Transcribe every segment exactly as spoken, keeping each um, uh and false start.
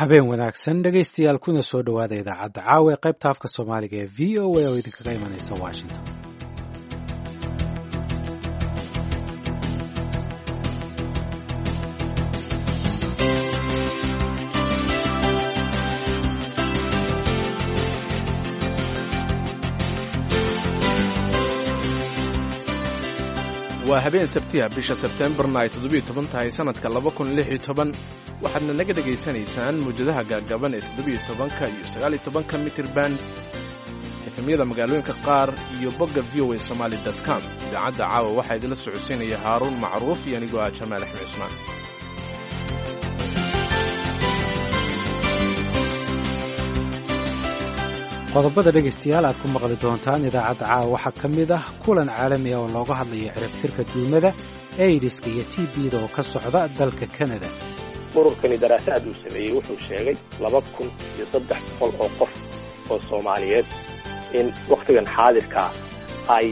Habeen wanaagsan, dhegaystayaal, kuna soo dhowaada idaacadda caawa ee qaybta afka Soomaaliga ee V O A oo idinkaga imanaysa Washington. Waa habeen Sabtiha, bisha Sebteembarna ay toddobiyo toban tahay sannadka laba kun lix iyo toban. Waxaadna naga dhegaysanaysaan mawjadaha gaagaaban ee toddobiyo tobanka iyo sagaal iyo tobanka mitirban, F M-yada magaalooyinka qaar iyo bogga V O A Somali com. Idaacadda caawa waxaa idinla socodsiinaya Haaruun Macruuf iyo anigoo ah Jamaal Axmed Cusmaan. Qodobada, dhegaystayaal, aad ku maqli doontaan idaacadda caawa waxaa ka mid ah kulan caalami ah oo looga hadlayo ciribtirka duumada, aidiska iyo T B-da oo ka socda dalka Canada. Ururkani daraasaad uu sameeyey wuxuu sheegay laba kun iyo saddex boqol oo qof oo Soomaaliyeed in wakhtigan xaadirkaa ay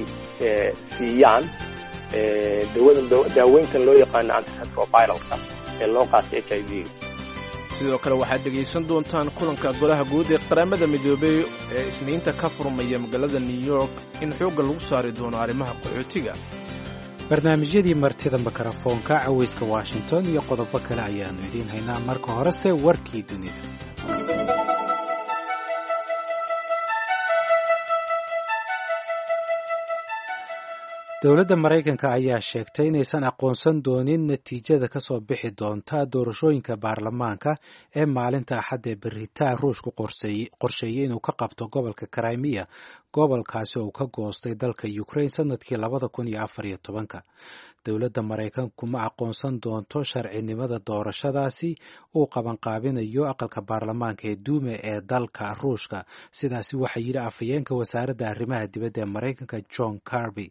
siiyaan dawadan, daaweyntan loo yaqaano antiretroviralka ee loo qaatay H I V. Sidoo kale waxaad dhegaysan doontaan kulanka Golaha Guud ee Qaramada Midoobey ee Isniinta ka furmaya magaalada New York in xoogga lagu saari doono arrimaha qaxootiga. Barnaamijyadii martida mikrofoonka, cawayska Washington iyo qodobo kale ayaannu idiin haynaa. Marka horese warkii dunida. Dowladda Maraykanka ayaa sheegtay inaysan aqoonsan doonin natiijada ka soo bixi doonta doorashooyinka baarlamaanka ee maalinta Axadda ee beritaa Ruushku qorsheeyey inuu ka qabto gobolka Crimea, gobolkaasi oo uu ka goostay dalka Ukraine sanadkii labada kun iyo afar iyo tobanka. Dowladda Maraykanku ma aqoonsan doonto sharcinimada doorashadaasi uu qabanqaabinayo aqalka baarlamaanka ee Duuma ee dalka Ruushka. Sidaasi waxaa yidhi afhayeenka wasaaradda arrimaha dibadda ee Maraykanka, John Kirby.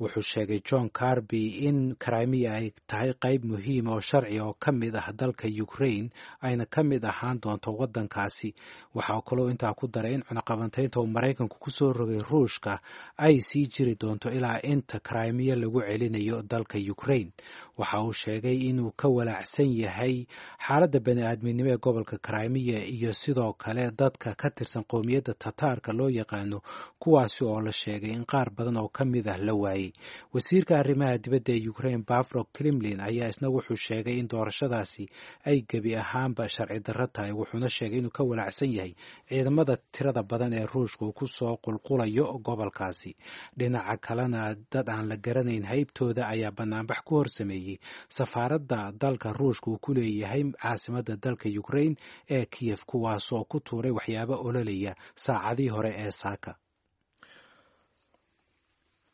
Wuxuu sheegay John Kirby in Crimea ay tahay qayb muhiim oo sharci oo ka mid ah dalka Ukraine, ayna ka mid ahaan doonto waddankaasi. Waxaa kaloo intaa ku daray in cunaqabantaynta uu Maraykanku ku soo rogay Ruushka ay sii jiri doonto ilaa inta Crimea lagu celinayo dalka Ukraine. Waxa uu sheegay inuu ka walaacsan yahay xaaladda bani-aadminimo ee gobolka Crimea iyo sidoo kale dadka ka tirsan qowmiyadda Tataarka loo yaqaano, kuwaasi oo la sheegay in qaar badan oo ka mid ah la waayay. Wasiirka arrimaha dibadda ee Ukraine, Pavlo Klimkin, ayaa isna wuxuu sheegay in doorashadaasi ay gebi ahaanba sharci darro tahay, wuxuuna sheegay inuu ka walaacsan yahay ciidamada tirada badan ee Ruushka uu ku soo qulqulayo gobolkaasi. Dhinaca kalena, dad aan la garanayn haybtooda ayaa banaanbax ku horsameeyey safaaradda dalka Ruushka uu ku leeyahay caasimadda dalka Ukraine ee Kiyef, kuwaasoo ku tuuray waxyaabo ololaya saacadii hore ee saaka.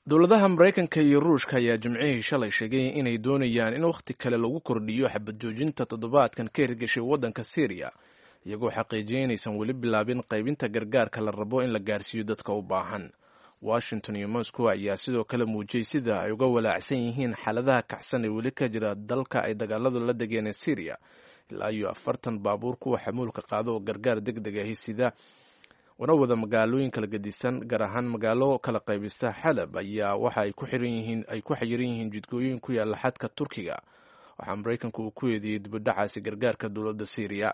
Dowladaha Maraykanka iyo Ruushka ayaa Jimcihii shalay sheegay inay doonayaan in wakhti kale lagu kordhiyo xabad joojinta toddobaadkan ka hirgashay waddanka Syriya, iyagoo xaqiijiyay inaysan weli bilaabin qaybinta gargaarka la rabo in la gaarsiiyo dadka u baahan. Washington iyo Moscow ayaa sidoo kale muujiyey sida ay uga walaacsan yihiin xaaladaha kacsan ee weli ka jira dalka ay dagaaladu la degeen ee Syriya. Ilaa iyo afartan baabuur kuwa xamuulka qaado oo gargaar deg deg ahi sida wana wada magaalooyin kala gedisan, gaar ahaan magaalo kala qaybista Xalab, ayaa waxa ay ku xiran yihiin ay ku xayiran yihiin jidgooyin ku yaalla xadka Turkiga. Waxaa Maraykanku uu ku eedeeyey dibudhacaasi gargaarka dowladda Syriya.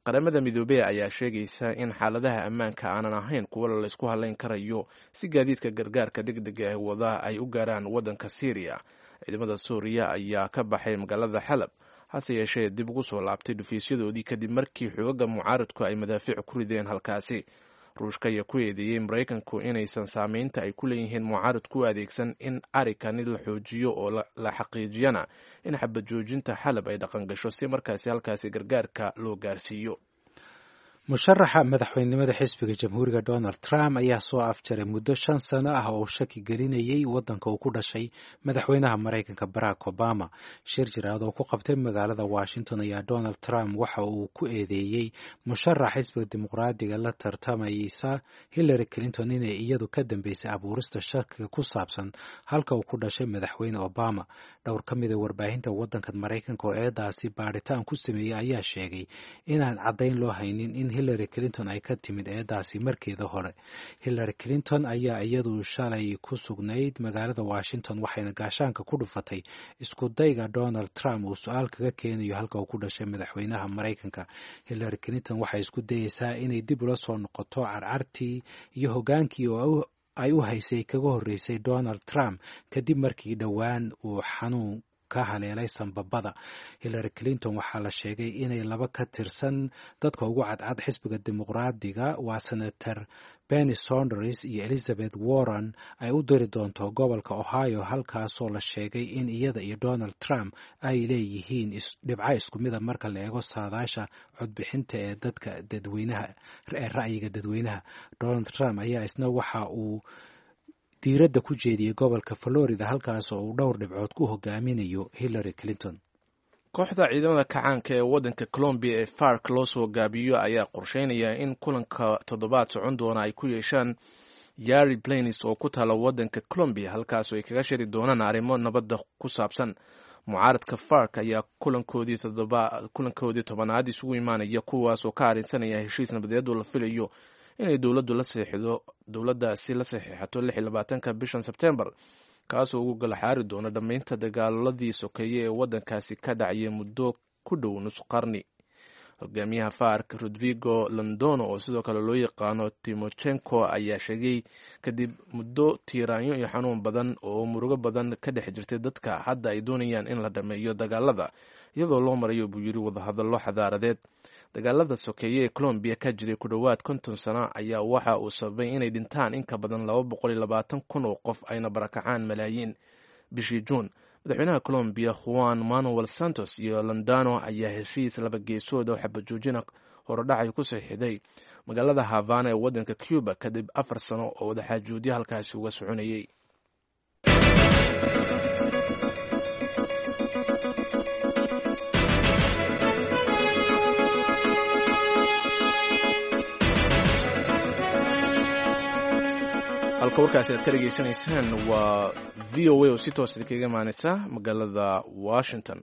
Qaramada Midoobey ayaa sheegaysa in xaaladaha ammaanka aanan ahayn kuwa laysku halayn karayo si gaadiidka gargaarka deg dega ah wada ay u gaaraan waddanka Syriya. Ciidamada Suuriya ayaa ka baxay magaalada Xalab, hase yeeshee dib ugu soo laabtay dhufiisyadoodii kadib markii xoogaga mucaaradku ay madaafiic ku rideen halkaasi. Ruushka ayaa ku eedeeyey Maraykanku inaysan saameynta ay ku leeyihiin mucaaradku u adeegsan in arikani la xoojiyo oo la xaqiijiyana in xabad joojinta Xalab ay dhaqangasho si markaasi halkaasi gargaarka loo gaarsiiyo. Musharaxa madaxweynenimada xisbiga Jamhuuriga, Donald Trump, ayaa soo afjaray muddo shan sano ah oo uu shaki gelinayay waddanka uu ku dhashay madaxweynaha Maraykanka, Barack Obama. Shir jiraad oo ku qabtay magaalada Washington ayaa Donald Trump waxa uu ku eedeeyey musharax xisbiga Dimuqraadiga la tartamaysa, Hillary Clinton, inay iyadu ka dambeysay abuurista shakiga ku saabsan halka uu ku dhashay madaxweyne Obama. Dhowr ka mida warbaahinta waddanka Maraykanka oo eedaasi baadhitaan ku sameeyey ayaa sheegay inaan caddayn loo haynin in Hillary Clinton ay ka timid eedaasi markeeda hore. Hillary Clinton ayaa iyadu shalay ku sugnayd magaalada Washington, waxayna gaashaanka ku dhufatay isku dayga Donald Trump uu su-aal kaga keenayo halka uu ku dhashay madaxweynaha Maraykanka. Hillary Clinton waxay isku dayeysaa inay dib ula soo noqoto carcartii iyo hogaankii oo ay u haysay kaga horreysay Donald Trump kadib markii dhowaan uu xanuun ka haleelay sanbabada. Hillary Clinton waxaa la sheegay inay laba ka tirsan dadka ugu cadcad xisbiga Dimuqraadiga, waa Senator Bernie Sanders iyo Elizabeth Warren, ay u diri doonto gobolka Ohio, halkaasoo la sheegay in iyada iyo Donald Trump ay leeyihiin dhibco isku mida marka la eego saadaasha codbixinta ee dadka dadweynaha ee ra'yiga dadweynaha. Donald Trump ayaa isna waxa uu diiradda ku jeediyey gobolka Florida, halkaas oo uu dhowr dhibcood ku hogaaminayo Hillary Clinton. Kooxda ciidamada kacaanka ee waddanka Colombiya ee FARC loo soo gaabiyo ayaa qorsheynaya in kulanka toddobaad socon doona ay ku yeeshaan Yari Plains oo ku taala waddanka Colombiya, halkaasoo ay kaga shiri doonaan arrimo nabadda ku saabsan. Mucaaradka FARC ayaa kulankoodii todoba kulankoodii tobanaad isugu imaanaya, kuwaas oo ka arrinsanaya heshiis nabadeed oo la filayo inay dowladdu la seexido dowladdaasi la saxiixato lix iyo labaatanka bishan Sebtembar, kaasoo ugu galaxaari doono dhammaynta dagaaladii sokeeye ee waddankaasi ka dhacayay muddo ku dhow nus qarni. Hogaamiyaha FARC Rodrigo Londono, oo sidoo kale loo yaqaano Timochenko, ayaa sheegay kadib muddo tiiraanyo iyo xanuun badan oo murugo badan ka dhex jirtay dadka, hadda ay doonayaan in la dhammeeyo dagaalada iyadoo loo marayo, buu yiri, wadahadallo xadaaradeed. Dagaalada sokeeye ee Colombiya ka jiray ku dhowaad konton sano ayaa waxa uu sababay inay dhintaan in ka badan laba boqol iyo labaatan kun oo qof, ayna barakacaan malaayiin. Bishii Juun, madaxweynaha Colombiya Juan Manuel Santos iyo Londano ayaa heshiis laba geesood oo xabajoojina horodhacay ku saxiixday magaalada Havana ee waddanka Cuba kadib afar sano oo wadaxaajoodyo halkaasi uga soconayay. Halka warkaasi aad ka dhegeysanaysaan waa V O A oo si toos idinkaga imaaneysa magaalada Washington.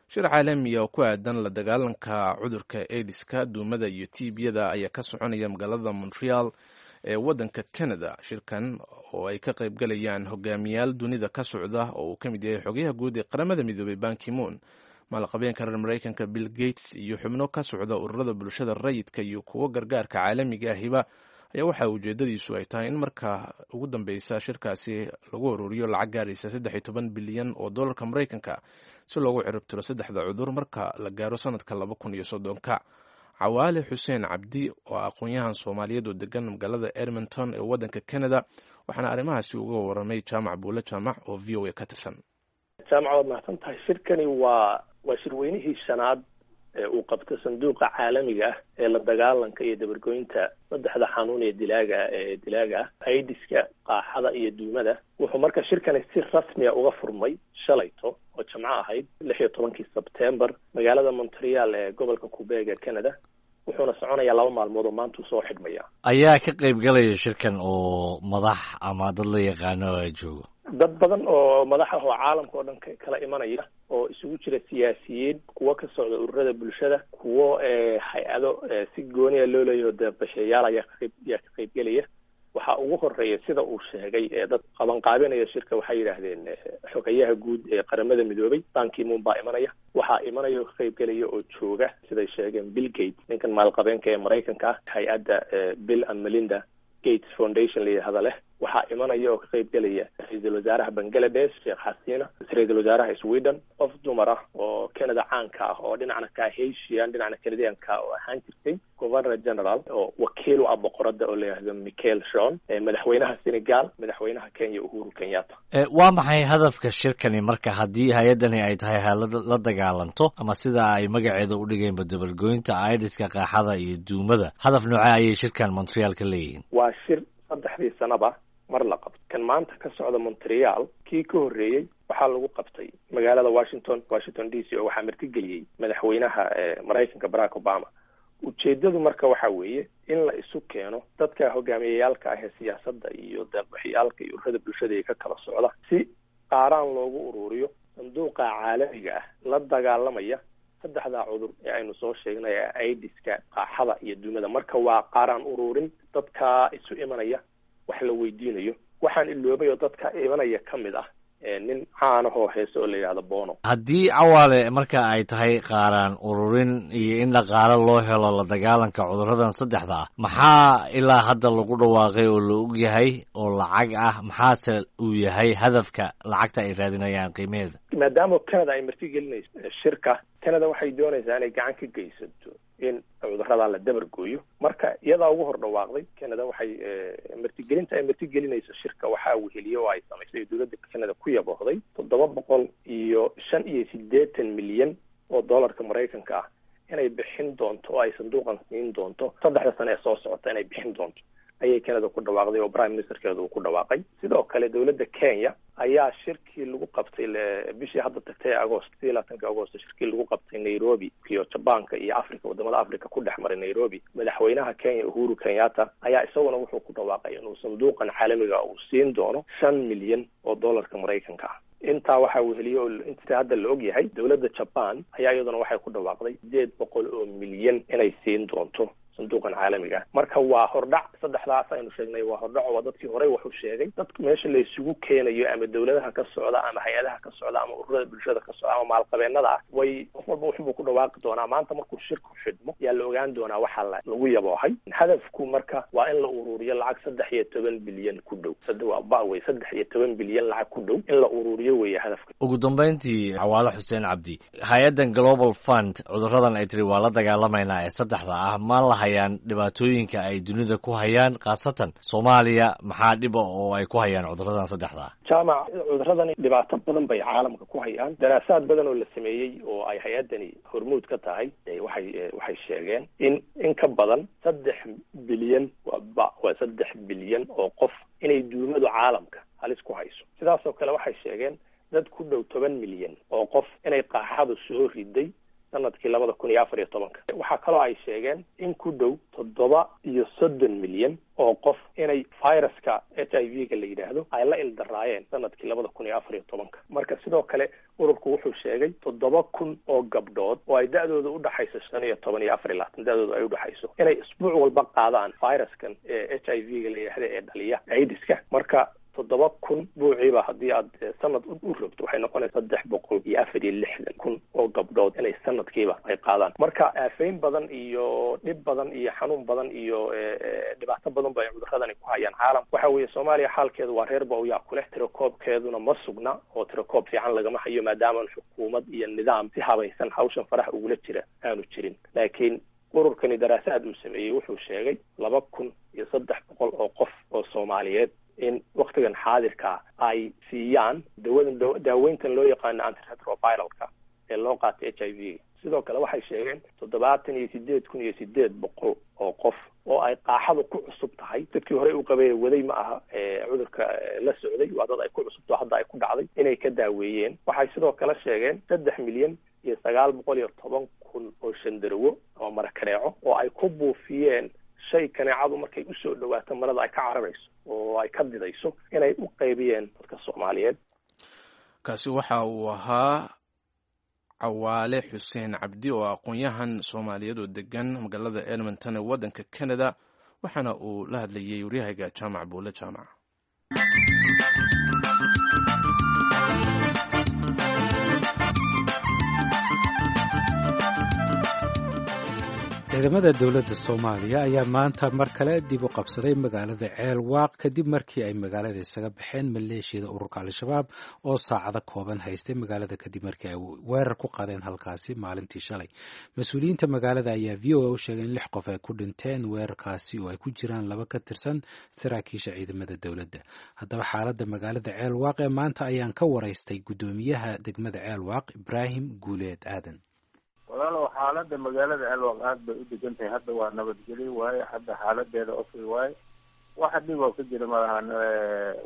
Shir caalamiya oo ku aadan la dagaalanka cudurka aidiska, duumada iyo tiibiyada ayaa ka soconaya magaalada Montreal ee waddanka Canada. Shirkan oo ay ka qaybgalayaan hogaamiyaal dunida ka socda oo uu ka mid yahay xogayaha guud ee Qaramada Midoobay Bankimoon, maalqabeenka reer Maraykanka Bill Gates iyo xubno ka socda ururada bulshada rayidka iyo kuwo gargaarka caalamiga ahiba, ayaa waxaa ujeedadiisu ay tahay in marka ugu dambeysa shirkaasi lagu ururiyo lacag gaaraysa saddex iyo toban bilyan oo dollarka Maraykanka si loogu ciribtiro saddexda cudur marka la gaaro sanadka laba kun iyo soddonka. Cawaale Xuseen Cabdi oo aqoon-yahan Soomaaliyeed oo degan magaalada Edmonton ee waddanka Canada, waxaana arrimahaasi uga waramay Jaamac Buule Jaamac oo V O A ka tirsan. Jaamac, waad mahadsan tahay. Shirkani waa waa shirweynihii shanaad ee uu qabto sanduuqa caalamiga ah ee la dagaalanka iyo dabargoynta saddexda xanuun ee dilaaga ee dilaaga ah, aidiska, qaaxada iyo duumada. Wuxuu marka shirkani si rasmiya uga furmay shalayto oo jamco ahayd lix iyo tobankii Sebtembar magaalada Montreal ee gobolka Quebec ee Canada, wuxuuna soconayaa laba maalmood oo maanta uu soo xidhmaya. Ayaa ka qayb galaya shirkan oo madax ama dad la yaqaano joogo? Dad badan oo madax ah oo caalamka oo dhan kala imanaya oo isugu jira siyaasiyiin, kuwo ka socda ururada bulshada, kuwo hay-ado si gooniya loo leeyaho deeqbashayaal ayaa kaqayb ayaa ka qaybgelaya. Waxaa ugu horeeya, sida uu sheegay dad qabanqaabinaya shirka, waxay yidhaahdeen xogayaha guud ee Qaramada Midoobay Bankimun baa imanaya. Waxaa imanaya oo ka qaybgelaya oo jooga, siday sheegeen, Bill Gates, ninkan maalqabeenka ee Maraykanka ah, hay-adda Bill and Melinda Gates Foundation la yidhahda leh. Waxaa imanaya oo ka qaybgelaya ra-iisul wasaaraha Bangladesh Sheekh Xasina, ra-iisul wasaaraha Sweden, qof dumar ah oo Canada caanka ah oo dhinacna ka Haitian dhinacna Canadianka oo ahaan jirtay governor general oo wakiil u ah boqorada oo la yidhahdo Michael Shon, madaxweynaha Senegal, madaxweynaha Kenya Uhuru Kenyatta. Waa maxay hadafka shirkani marka haddii hay-addani ay tahay hay'ad la dagaalanto ama sida ay magaceeda u dhigeenba dabargoynta aidiska, qaaxada iyo duumada, hadaf noocee ayay shirkan Montreal ka leeyihiin? Waa shir saddexdii sanaba mar la qabto. Kan maanta ka socda Montreal, kii ka horreeyey waxaa lagu qabtay magaalada Washington, Washington D C, oo waxaa martigeliyey madaxweynaha Maraykanka Barack Obama. Ujeedadu marka waxa weeye in la isu keeno dadka hogaamiyayaalka ah ee siyaasadda iyo deeqbixiyaalka iyo ururada bulshada ee ka kala socda si qaaraan loogu ururiyo sanduuqa caalamiga ah la dagaalamaya Saddexdaa cudur ee aynu soo sheegnay ee aidiska, qaaxada iyo duumada. Marka waa qaaraan ururin dadka isu imanaya wax la weydiinayo. Waxaan iloobay oo dadka imanaya ka mid ah nin caanahoo heese oo la yidhahdo Bono. Haddii Cawaale marka ay tahay qaaraan ururin iyo in dhaqaale loo helo la dagaalanka cudurradan saddexda ah, maxaa ilaa hadda lagu dhawaaqay oo la og yahay oo lacag ah? Maxaase uu yahay hadafka lacagta ay raadinayaan qiimaheeda? Maadaama Canada ay marti gelinayso shirka, Canada waxay doonaysaa inay gacan ka geysato in cudurradaa la dabar gooyo. Marka iyadaa ugu hor dhawaaqday. Canada waxay martigelinta ay martigelinayso shirka waxaa weheliye oo ay samaysay dowladda Canada ku yaboohday toddoba boqol iyo shan iyo siddeetan milyan oo dollarka Maraykanka ah inay bixin doonto oo ay sanduuqan siin doonto saddexda sane ee soo socota inay bixin doonto ayay Canada ku dhawaaqday oo prime ministerkeedu uu ku dhawaaqay. Sidoo kale dowladda Kenya ayaa shirkii lagu qabtay bishii hadda tagtay ee Agost, sidii labaatanka Agost, shirkii lagu qabtay Nairobi iyo Jabaanka iyo Africa, wadamada Africa ku dhex maray Nairobi, madaxweynaha Kenya Uhuru Kenyatta ayaa isaguna wuxuu ku dhawaaqay inuu sanduuqan caalamiga uu siin doono shan milyan oo dollarka Maraykanka ah. Intaa waxaa weheliye oo inta hadda la og yahay dowladda Jaban ayaa iyaduna waxay ku dhawaaqday sideed boqol oo milyan inay siin doonto sanduuqan caalamiga. Marka waa hordhac, saddexdaas aynu sheegnay waa hordhac, waa dadkii horey waxu sheegay. Dadka meesha la isugu keenayo ama dowladaha ka socda ama hay-adaha ka socda ama ururada bulshada ka socda ama maalqabeenada ah, way qof walba wuxubuu ku dhawaaqi doonaa. Maanta markuu shirku xidhmo yaa la ogaan doonaa waxaa la lagu yaboohay. Hadafku marka waa in la uruuriyo lacag saddex iyo toban bilyan ku dhow, waa ba wey, saddex iyo toban bilyan lacag ku dhow in la uruuriyo weeye hadafka. Ugu dambeyntii, Cawaale Xuseen Cabdi, hay-addan Global Fund cudurradan ay tiri waa la dagaalamaynaa ee saddexda ah, ma la hayaan dhibaatooyinka ay dunida ku hayaan, khaasatan Soomaaliya? Maxaa dhiba oo ay ku hayaan cudurradan saddexda ah? Jaamac, cuduradani dhibaato badan bay caalamka ku hayaan. Daraasaad badan oo la sameeyey oo ay hay-addani hormuud ka tahay waxay waxay sheegeen in in ka badan saddex bilyan, waa waa saddex bilyan oo qof inay duumadu caalamka halis ku hayso. Sidaas oo kale waxay sheegeen dad ku dhow toban milyan oo qof inay qaaxadu soo riday sanadkii labada kun iyo afar iyo tobanka. Waxaa kaloo ay sheegeen in ku dhow toddoba iyo soddon milyan oo qof inay viruska H I V-ga la yidhaahdo ay la ildaraayeen sanadkii labada kun iyo afar iyo tobanka. Marka sidoo kale ururku wuxuu sheegay toddoba kun oo gabdhood oo ay da-dooda udhaxayso shan iyo toban iyo afar iyo labaatan da-dooda ay udhaxayso inay isbuuc walba qaadaan viruskan ee H I V-ga la yidhaahdo ee dhaliya aidiska. Marka toddoba kun buuciiba haddii aad sanad u rogto waxay noqonaysa saddex boqol iyo afar iyo lixdan kun oo gabdhood inay sanadkiiba ay qaadaan. Marka aafayn badan iyo dhib badan iyo xanuun badan iyo dhibaato badan ba ay cuduradani ku hayaan caalam. Waxa weeye Soomaaliya xaalkeedu waa reer bawyaa kuleh, tirakoobkeeduna ma sugna oo tirakoob fiican lagama hayo maadaamaan xukuumad iyo nidaam si habaysan hawshan farax ugula jira aanu jirin. Laakiin ururkani daraasaad uu sameeyey wuxuu sheegay laba kun iyo saddex boqol oo qof oo Soomaaliyeed in waktigan xaadirka ay siiyaan dawadan daaweyntan loo yaqaano antiretroviralka ee loo qaatay H I V. Sidoo kale waxay sheegeen toddobaatan iyo sideed kun iyo sideed boqol oo qof oo ay qaaxadu ku cusub tahay, dadkii horey u qabay waday ma aha cudurka la socday, waa dad ay ku cusubto hadda ay ku dhacday, inay ka daaweeyeen. Waxay sidoo kale sheegeen saddex milyan iyo sagaal boqol iyo toban kun oo shandarowo ama marakaneeco oo ay ku buufiyeen shay kaneecadu markay usoo dhawaato marada ay ka cararayso oo ay ka didayso inay u qaybiyeen dadka Soomaaliyeed. Kaasi waxa uu ahaa Cawaale Xuseen Cabdi oo aqoon-yahan Soomaaliyeed oo degan magaalada Edmonton ee waddanka Canada, waxaana uu la hadlayay waryahayga Jaamac Buule Jaamac. Ciidamada dowladda Soomaaliya ayaa maanta mar kale dib u qabsaday magaalada Ceelwaaq kadib markii ay magaalada isaga baxeen maleeshiyada ururka Al-Shabaab oo saacado kooban haystay magaalada kadib markii ay weerar ku qaadeen halkaasi maalintii shalay. Mas-uuliyiinta magaalada ayaa V O A u sheegay in lix qof ay ku dhinteen weerarkaasi oo ay ku jiraan laba ka tirsan saraakiisha ciidamada dowladda. Haddaba xaaladda magaalada Ceelwaaq ee maanta ayaan ka waraystay guddoomiyaha degmada Ceelwaaq, Ibraahim Guuleed Aadan. Walaalow, xaaladda magaalada Ceelwaaq aada bay u degan tahay. Hadda waa nabadgelyo waaye, hadda xaaladeeda okay waaye, waxa dhib oo ka jira malahan.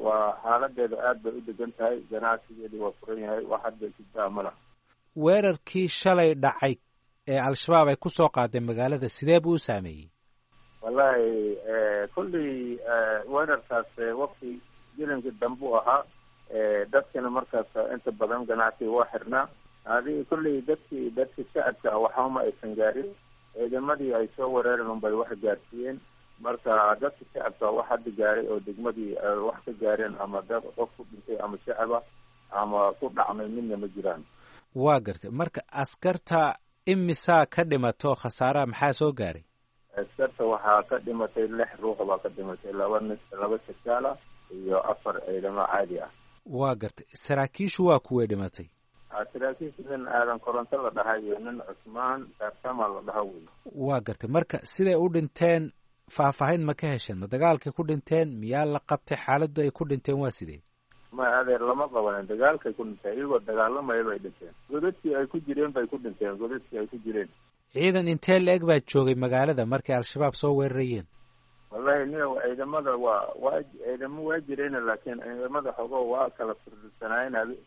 Waa xaaladeeda aada bay u degan tahay, ganacsigeedi waa furan yahay, wax hadda jiddaa ma laha. Weerarkii shalay dhacay ee Al-Shabaab ay ku soo qaaday magaalada sidee buu u saameeyey? Wallahi kulley weerarkaas wakti jilinka dambu ahaa, dadkana markaas inta badan ganacsiga waa xirnaa. Adiga kolley dadkii dadkii shacabka waxama aysan gaarin, ciidamadii ay soo weerareen unbay wax gaarsiiyeen. Marka dadka shacabka wax hadda gaaray oo degmadii wax ka gaareen ama dad qof ku dhintay ama shacaba ama ku dhacmay midna ma jiraan. Waa gartay. Marka askarta imisaa ka dhimato, khasaaraha maxaa soo gaaray? Askarta waxaa ka dhimatay lix ruux baa ka dhimatay, laba nin, laba sarkaala iyo afar ciidamo caadi ah. Waa gartay. Saraakiishu waa kuway dhimatay? Saraakiisha nin Aadan Koronto la dhahay iyo nin Cusmaan Saartama la dhaha wey. Waa gartay. Marka siday u dhinteen faahfaahin ma ka hesheen? Ma dagaalkay ku dhinteen, miyaa la qabtay? Xaaladdu ay ku dhinteen waa sidee? Ma adeer, lama qabanin, dagaalkay ku dhinteen, iyagoo dagaalamaya bay dhinteen. Godadkii ay ku jireen bay ku dhinteen, godadkii ay ku jireen. Ciidan intee la-eg baa joogay magaalada markay Al-Shabaab soo weerarayeen? Wallahi nin ciidamada waa waa ciidamo waa jireen, laakiin ciidamada xogo waa kala firdhisanaayeen.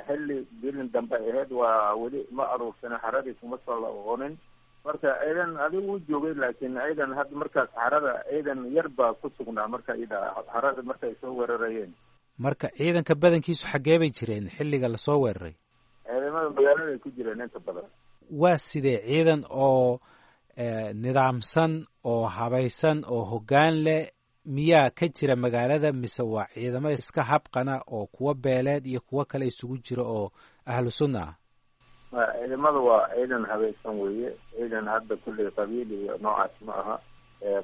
Xilli bilin dambe ahayd, waa weli ma aruursanin, xaradii kuma soo laqonin. Marka ciidan adigu u joogay, laakiin ciidan hadda markaas xarada ciidan yar baa ku sugnaa marka ida xarada markay soo weerarayeen. Marka ciidanka badankiisu xaggee bay jireen xilliga lasoo weeraray? Ciidamada magaaladay ku jireen inta badan. Waa sidee ciidan oo nidaamsan oo habaysan oo hoggaan leh miyaa ka jira magaalada, mise waa ciidamo iska habqana oo kuwa beeleed iyo kuwo kale isugu jira oo ahlu sunna ah? Ciidamada waa ciidan habaysan weeye, ciidan hadda kulley qabiil iyo noocaas ma aha.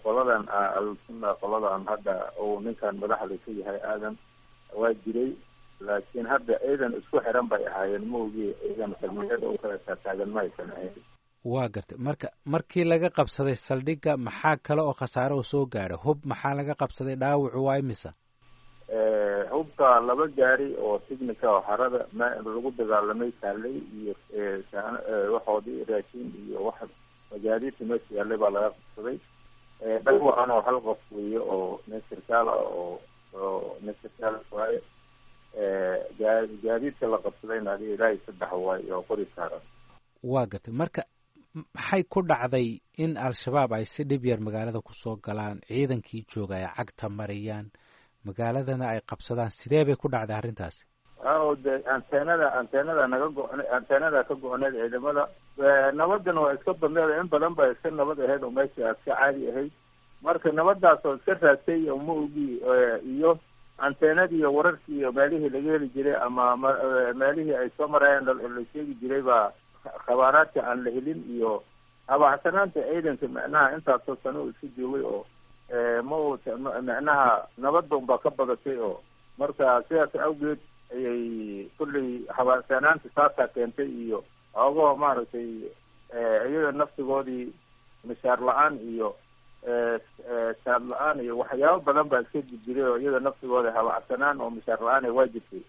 Qoladan ahlu sunna, qoladan hadda uu ninkan madaxda ka yahay Aadan waa jiray, laakiin hadda ciidan isku xiran bay ahaayeen, ma ogi ciidan xirmiyada u kala taataagan ma aysan ahayn. Waa gartay. Marka markii laga qabsaday saldhigga maxaa kale oo khasaare oo soo gaadha? Hub maxaa laga qabsaday? Dhaawacu waa imisa? Hubka laba gaari oo tignica oo xarada ma lagu dagaalamay taalay iyo waxoodii raashin iyo wax magaadiidta meesha yaallay baa laga qabsaday. Dhaawacan oo hal qof weeye oo nin sarkaal ah oo oo nin sarkaal waaye. Gaa gaadiidka la qabsadayna adiga ilaahay saddex waaye oo qori saaran. Waa gartay. Marka maxay ku dhacday in Al-Shabaab ay si dhib yar magaalada kusoo galaan, ciidankii jooga ay cagta mariyaan, magaaladana ay qabsadaan? Sidee bay ku dhacday arrintaasi? O de anteenada anteenada naga go- anteenada ka go-oneed ciidamada. Nabadana waa iska badneed, in badan ba iska nabad ahayd oo meesha iska caadi ahayd. Marka nabadaas oo iska raagtay oo ma ogi iyo anteenadii iyo wararkii iyo meelihii laga heli jiray ama meelihii ay soo marayeen la sheegi jiray baa khabaaraadka aan la helin, iyo habacsanaanta ciidanka macnaha intaasoo sano uu iska joogay oo ma uu macnaha nabadda unbaa ka badatay, oo marka sidaas awgeed ayay kulley habacsanaanta saasaa keentay, iyo xoogahoo maaragtay iyaga naftigoodii mishaar la-aan iyo saad la-aan iyo waxyaabo badan baa iska jijiray, oo iyaga naftigooda habacsanaan oo mishaar la-aan ay waa jirtay.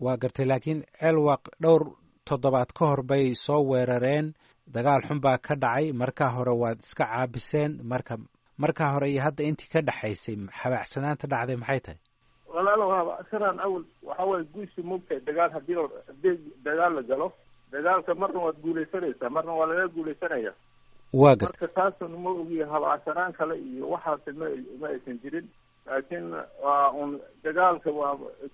Waa gartay. Laakiin Ceelwaaq dhowr toddobaad ka hor bay soo weerareen, dagaal xun baa ka dhacay. Markaa hore waad iska caabiseen. Marka markaa hore iyo hadda intii ka dhexaysay habacsanaanta dhacday maxay tahay? Walaalow, habacsanaan awal waxa waye guushi moogtahay. Dagaal hadii hadii dagaal la galo, dagaalka marna waad guuleysanaysaa, marna waa laga guuleysanaya. Waa gartay. Marka taasun ma ogi habacsanaan kale iyo waxaas ma ma aysan jirin, laakiin waa un dagaalka waa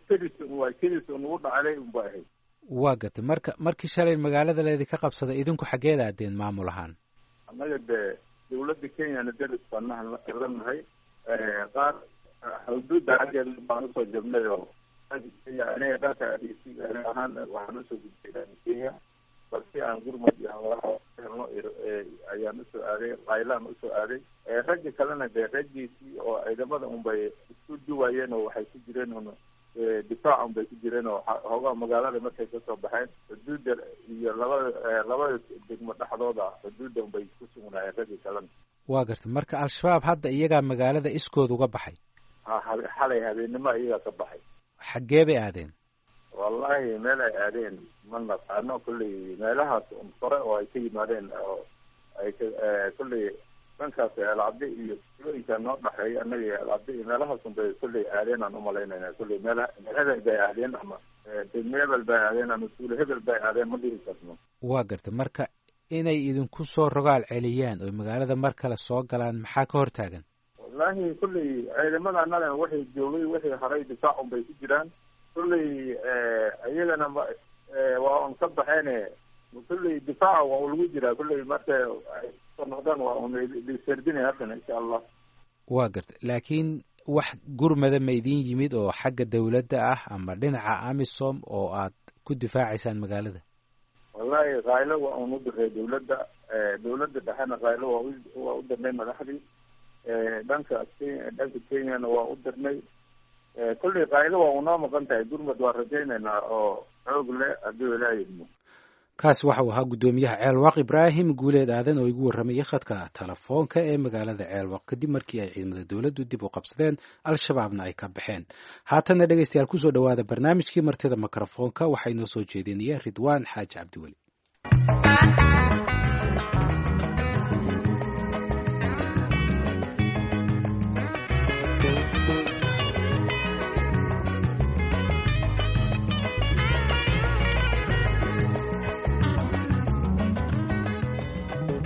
kelis un waa kelis un ugu dhacday unba ahayd. Waa gartay. Marka markii shalay magaalada leedi ka qabsaday, idinku xaggeed aadeen maamul ahaan? Annaga dee dawladda Kenyana daris baan la nahay, qaar xuduudda xaggeeda baan usoo jabnay oo Kenya aniga dhanka ahaan waxaan usoo gudbay Kenya, balse aan gurmud iyo helno ayaan usoo aaday, qaylaan usoo aaday. Ragga kalena dee raggiisii oo ciidamada unbay isku duwayeen oo waxay ku jireen un difaac unbay ku jireen, oo hoogaha magaalada markay kasoo baxeen xuduudda iyo labada labada degmo dhexdooda xuduudda unbay ku sugnaayeen raggii kalena. Waa gartay. Marka Al-Shabaab hadda iyagaa magaalada iskood uga baxay? Ha, xalay habeennimo iyagaa ka baxay. Xaggee bay aadeen? Wallahi meel ay aadeen ma naqaano. Kulley meelahaas un kore oo ay ka yimaadeen oo ay ka kulley dhankaas Eelcabdi iyo tulooyinka noo dhexeeya annaga iyo Eelcabdi iyo meelahaas un bay kulley aadeen aan umalaynayna. Kulley meel meel hebel bay aadeen ama degmo hebel bay aadeen ama tuulo hebel bay aadeen ma dhihi karno. Waa gartay. Marka inay idinku soo rogaal celiyaan oy magaalada mar kale soo galaan maxaa ka hortaagan? Wallahi kulley ciidamada annaga waxay joogay wixii haray difaac un bay ku jiraan. Kulley iyagana ma Waa un ka baxeen. Kulley difaaca waa lagu jiraa, kulley marka ay soo noqdaan waa un lisardinay haddana, insha Allah. Waa garta, laakiin wax gurmada ma idin yimid oo xagga dawladda ah ama dhinaca AMISOM oo aad ku difaacaysaan magaalada? Wallahi khaylo waa un u diray dawladda, dawladda dhexena khaylo waa waa u dirnay madaxdii dhanka dhanka Kenyana waa u dirnay. Kulley khaylo waa unoo maqan tahay, gurmad waa rajaynaynaa oo xoog leh hadduu Ilaah yidmo. Kaasi waxa uu ahaa guddoomiyaha Ceelwaq, Ibraahim Guuleed Aadan, oo igu warramayay khadka telefoonka ee magaalada Ceelwaq kadib markii ay ciidamada dowladdu dib u qabsadeen, Al-Shabaabna ay ka baxeen. Haatanna dhegeystayaal, kusoo dhowaada barnaamijkii Martida Mikrofoonka. Waxaa inoo soo jeedinaya Ridwaan Xaaji Cabdiweli.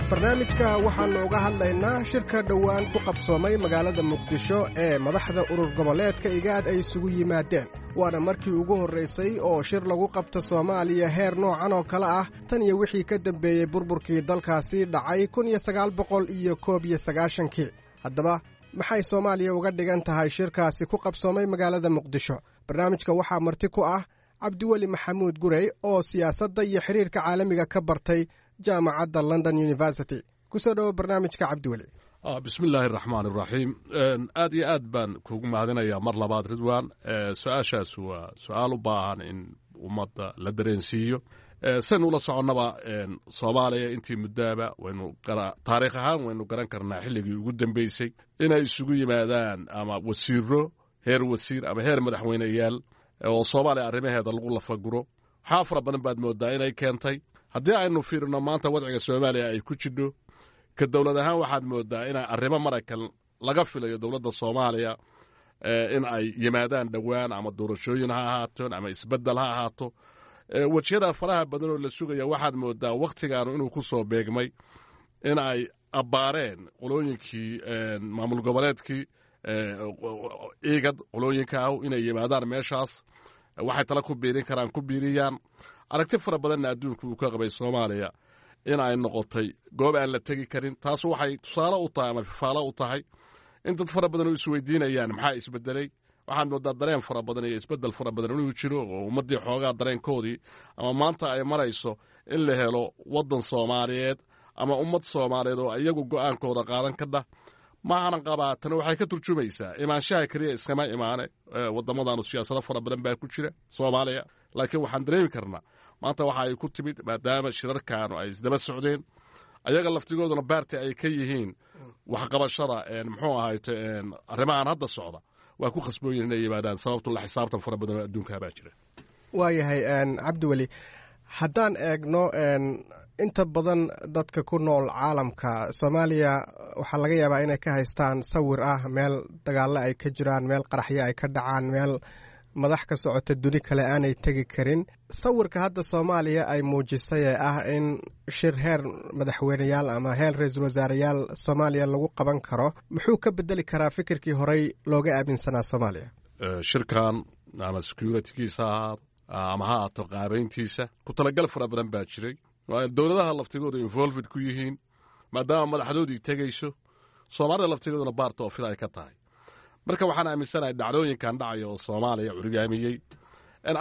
Barnaamijka waxaannu uga hadlaynaa shirka dhowaan ku qabsoomay magaalada Muqdisho ee madaxda urur goboleedka IGAAD ay isugu yimaadeen. Waana markii ugu horraysay oo shir lagu qabto Soomaaliya heer noocan oo kale ah tan iyo wixii ka dambeeyey burburkii dalkaasi dhacay kun iyo sagaal boqol iyo koob iyo sagaashankii. Haddaba maxay Soomaaliya uga dhigan tahay shirkaasi ku qabsoomay magaalada Muqdisho? Barnaamijka waxaa marti ku ah Cabdiweli Maxamuud Gurey oo siyaasadda iyo xiriirka caalamiga ka bartay jaamacadda London University. Kusoo dhowo barnaamijka, Cabdiweli. Bismi illaahi araxmaan iraxiim. Aad iyo aad baan kugu mahadinayaa mar labaad, Ridwan. Su-aashaas waa su-aal u baahan in ummadda la dareensiiyo. Saynu ula soconnaba, Soomaaliya intii muddaaba waynu taariikh ahaan waynu garan karnaa xilligii ugu dambeysay inay isugu yimaadaan ama wasiiro heer wasiir ama heer madaxweyneyaal oo Soomaaliya arrimaheeda lagu lafaguro. Waxaa fara badan baad moodaa inay keentay. Haddii aynu fiirino maanta wadciga Soomaaliya ay ku jidho ka dowlad ahaan, waxaad moodaa inay arrimo maraykan laga filayo dowladda Soomaaliya in ay yimaadaan dhowaan, ama doorashooyin ha ahaato ama isbeddel ha ahaato. Wejiyada faraha badan oo la sugaya waxaad moodaa wakhtigaanu inuu ku soo beegmay in ay abbaareen qolooyinkii maamul goboleedkii IGAD, qolooyinka ah inay yimaadaan meeshaas, waxay tala ku biirin karaan ku biiriyaan. Aragti fara badanna adduunku uu ka qabay Soomaaliya in ay noqotay goob aan la tegi karin. Taas waxay tusaale u tahay ama fifaalo u tahay in dad fara badan oo isweydiinayaan maxaa isbedelay. Waxaan moodaa dareen fara badan iyo isbedel fara badan inuu jiro oo ummaddii xoogaa dareenkoodii ama maanta ay marayso in la helo waddan Soomaaliyeed ama ummad Soomaaliyeed oo iyagu go'aankooda qaadan kadha. Maanan qabaa tani waxay ka turjumaysaa imaanshaha keliya iskama imaane. Waddamadanu siyaasado fara badan baa ku jira Soomaaliya, laakiin waxaan dareemi karnaa maanta waxa ay ku timid maadaama shirarkaanu ay isdaba socdeen, ayaga laftigooduna baarti ay ka yihiin waxqabashada muxuu ahayte arrimahan hadda socda, waa ku khasbooyin inay yimaadaan, sababto la xisaabtan fara badan oo adduunkaa baa jira. Waayahay, Cabdiweli, haddaan eegno inta badan dadka ku nool caalamka, Soomaaliya waxaa laga yaabaa inay ka haystaan sawir ah meel dagaallo ay ka jiraan, meel qaraxyo ay ka dhacaan, meel madax ka socota duni kale aanay tegi karin. Sawirka hadda Soomaaliya ay muujisay ee ah in shir heer madaxweyneyaal ama heer ra-iisul wasaareyaal Soomaaliya lagu qaban karo, muxuu ka bedeli karaa fikirkii horey looga aaminsanaa Soomaaliya? Shirkan ama securitygiisa ha ahaado ama ha ahaato qaabayntiisa, ku talagal fara badan baa jiray. Dowladaha laftigoodu involved ku yihiin maadaama madaxdoodii tegayso, Soomaalida laftigooduna baarta oo fida ay ka tahay. Marka waxaan aaminsanahay dhacdooyinkan dhacaya oo Soomaaliya curyaamiyey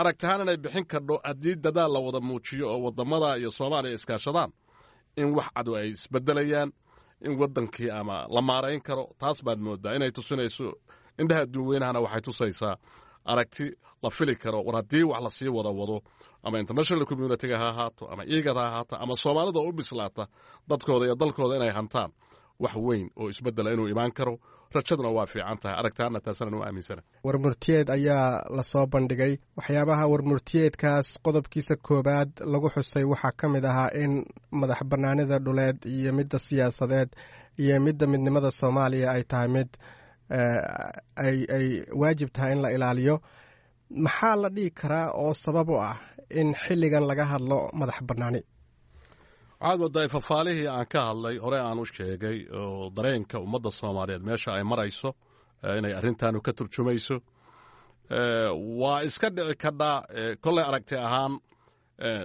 aragtahaan inay bixin kardho haddii dadaal la wada muujiyo oo waddamada iyo Soomaaliya iskaashadaan, in wax cadu ay isbedelayaan, in waddankii ama la maarayn karo. Taas baad moodaa inay tusinayso indhaha adduunweynahana. Waxay tusaysaa aragti la fili karo war haddii wax lasii wada wado, ama international communityga ha ahaato ama IGAD ha ahaato ama Soomaalida oo u bislaata dadkooda iyo dalkooda inay hantaan, wax weyn oo isbedela inuu imaan karo. Rajaduna waa fiican tahay, aragtaana taasana u aaminsana. Warmurtiyeed ayaa lasoo bandhigay. Waxyaabaha warmurtiyeedkaas qodobkiisa koowaad lagu xusay waxaa ka mid ahaa in madax bannaanida dhuleed iyo midda siyaasadeed iyo midda midnimada Soomaaliya ay tahay mid ay ay waajib tahay in la ilaaliyo. Maxaa la dhihi karaa oo sabab u ah in xilligan laga hadlo madax bannaani? Waxaad moodaa fafaalihii aan ka hadlay hore aan u sheegay oo dareenka ummadda Soomaaliyeed meesha ay marayso inay arrintaanu ka turjumayso. Waa iska dhici kadhaa kollay aragti ahaan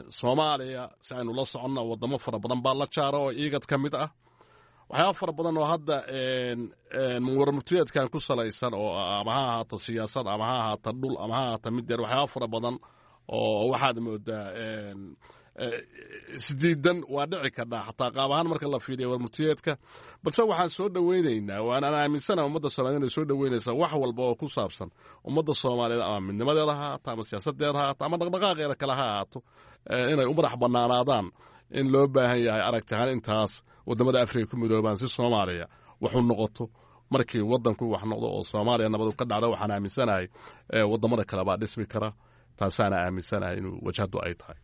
Soomaaliya si aynu la soconna, wadamo fara badan baa la jaara oo IGAD ka mid ah. Waxyaaba fara badan oo hadda warmurtiyeedkan ku salaysan oo ama ha ahaato siyaasad, ama ha ahaato dhul, ama ha ahaato mid yar, waxyaaba fara badan oo waxaad moodaa isdiidan waa dhici kardhaa xataa qaab ahaan marka la fiiriya warmurtiyeedka. Balse waxaan soo dhoweynaynaa, waanaan aaminsanaha ummadda Soomaaliyed inay soo dhoweynaysaa wax walba oo ku saabsan ummadda Soomaaliyeed, ama midnimadeeda ha ahaato, ama siyaasadeeda ha ahaato, ama dhaqdhaqaaqeeda kale ha ahaato, inay u madax bannaanaadaan in loo baahan yahay aragti ahaan intaas waddamada Afrika ku midoobaan si Soomaaliya wax u noqoto. Markii waddanku wax noqdo oo Soomaaliya nabadu ka dhacda, waxaan aaminsanahay waddamada kale baa dhismi kara. Taasaana aaminsanahay inuu wajhadu ay tahay.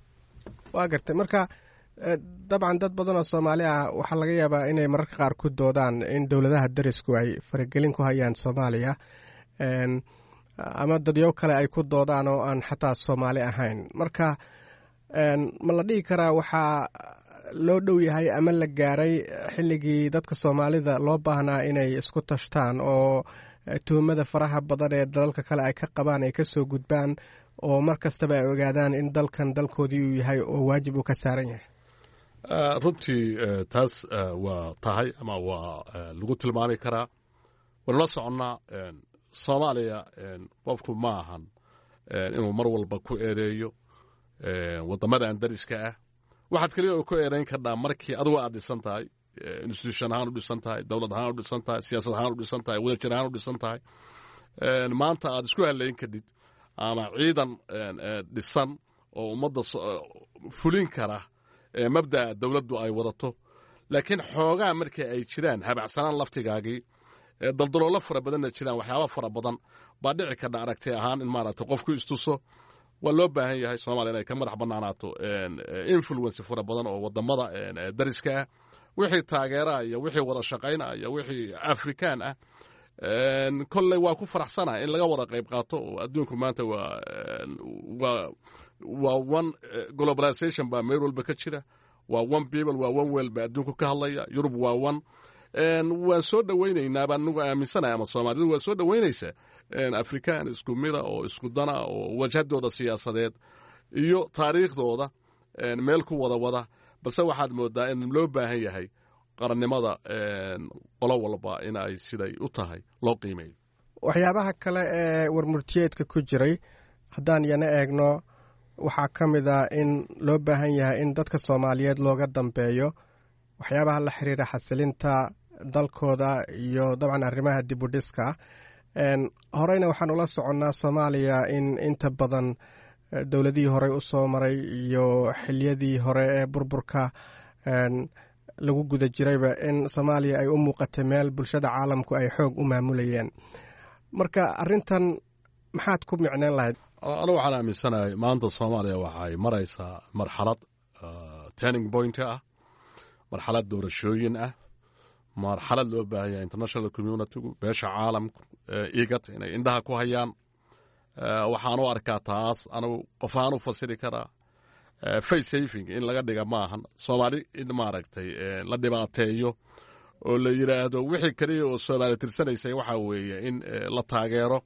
Waa gartay. Marka dabcan dad badan oo Soomaali ah waxaa laga yaabaa inay mararka qaar ku doodaan in dowladaha darisku ay faragelin ku hayaan Soomaaliya, ama dadyo kale ay ku doodaan oo aan xataa Soomaali ahayn. Marka ma la dhihi karaa waxaa loo dhow yahay ama la gaaray xilligii dadka Soomaalida loo baahnaa inay isku tashtaan oo tuhumada faraha badan ee dalalka kale ay ka qabaan ay kasoo gudbaan, oo mar kastaba ay ogaadaan in dalkan dalkoodii uu yahay oo waajib uu ka saaran yahay? Runtii taas waa tahay ama waa lagu tilmaami karaa. Waynu la soconnaa Soomaaliya, qofku ma ahan inuu mar walba ku eedeeyo waddamadan dariska ah. Waxaad keliya oo ku eedayn kardhaa markii adigu aad dhisan tahay, institution ahaan u dhisan tahay, dowlad ahaan u dhisan tahay, siyaasad ahaan u dhisan tahay, wadajir ahaan u dhisan tahay, maanta aad isku halayn kadhid ama ciidan dhisan oo ummadda fulin kara mabda'a dowladdu ay wadato. Laakiin xoogaa markii ay jiraan habacsanaan laftigaagii, daldaloolo fara badanna jiraan, waxyaaba fara badan baa dhici kardha aragti ahaan in maaragtay qofku istuso. Waa loo baahan yahay Soomaaliya inay ka madax bannaanaato influence fara badan oo waddamada dariska ah. Wixii taageeraha iyo wixii wada shaqayna iyo wixii Afrikaan ah, kolley waa ku faraxsanahay in laga wada qayb qaato, oo adduunku maanta waa waa waa one globalization baa meel walba ka jira, waa one people, waa one world baa adduunku ka hadlaya. Yurub waa one. Waan soo dhoweynaynaa baan anigu aaminsanahay, ama Soomaalidu waa soo dhoweynaysaa Afrikaan isku mida oo isku dana oo wajhadooda siyaasadeed iyo taariikhdooda meel ku wada wada. Balse waxaad moodaa in loo baahan yahay qarannimada qolo walba in ay siday u tahay loo qiimeeyo. Waxyaabaha kale ee warmurtiyeedka ku jiray haddaan yana eegno, waxaa ka mid ah in loo baahan yahay in dadka Soomaaliyeed looga dambeeyo waxyaabaha la xiriira xasilinta dalkooda iyo dabcan arrimaha dib u dhiska. Horeyna waxaan ula soconnaa Soomaaliya in inta badan dowladihii horey u soo maray iyo xiliyadii hore ee burburka lagu guda jirayba in Soomaaliya ay u muuqatay meel bulshada caalamku ay xoog u maamulayeen. Marka arrintan maxaad ku micneyn lahayd? Anu waxaan aaminsanahay maanta Soomaaliya waxay maraysaa marxalad turning point ah, marxalad doorashooyin ah, marxalad loo baahan yahay international communitygu, beesha caalamku, IGAD inay indhaha ku hayaan. Waxaan u arkaa taas anugu qof ahaan u fasiri karaa face saving in laga dhiga maahan Soomaali in maaragtay la dhibaateeyo oo la yidhaahdo wixii keliya oo Soomaali tirsanaysay waxaa weeye in la taageero,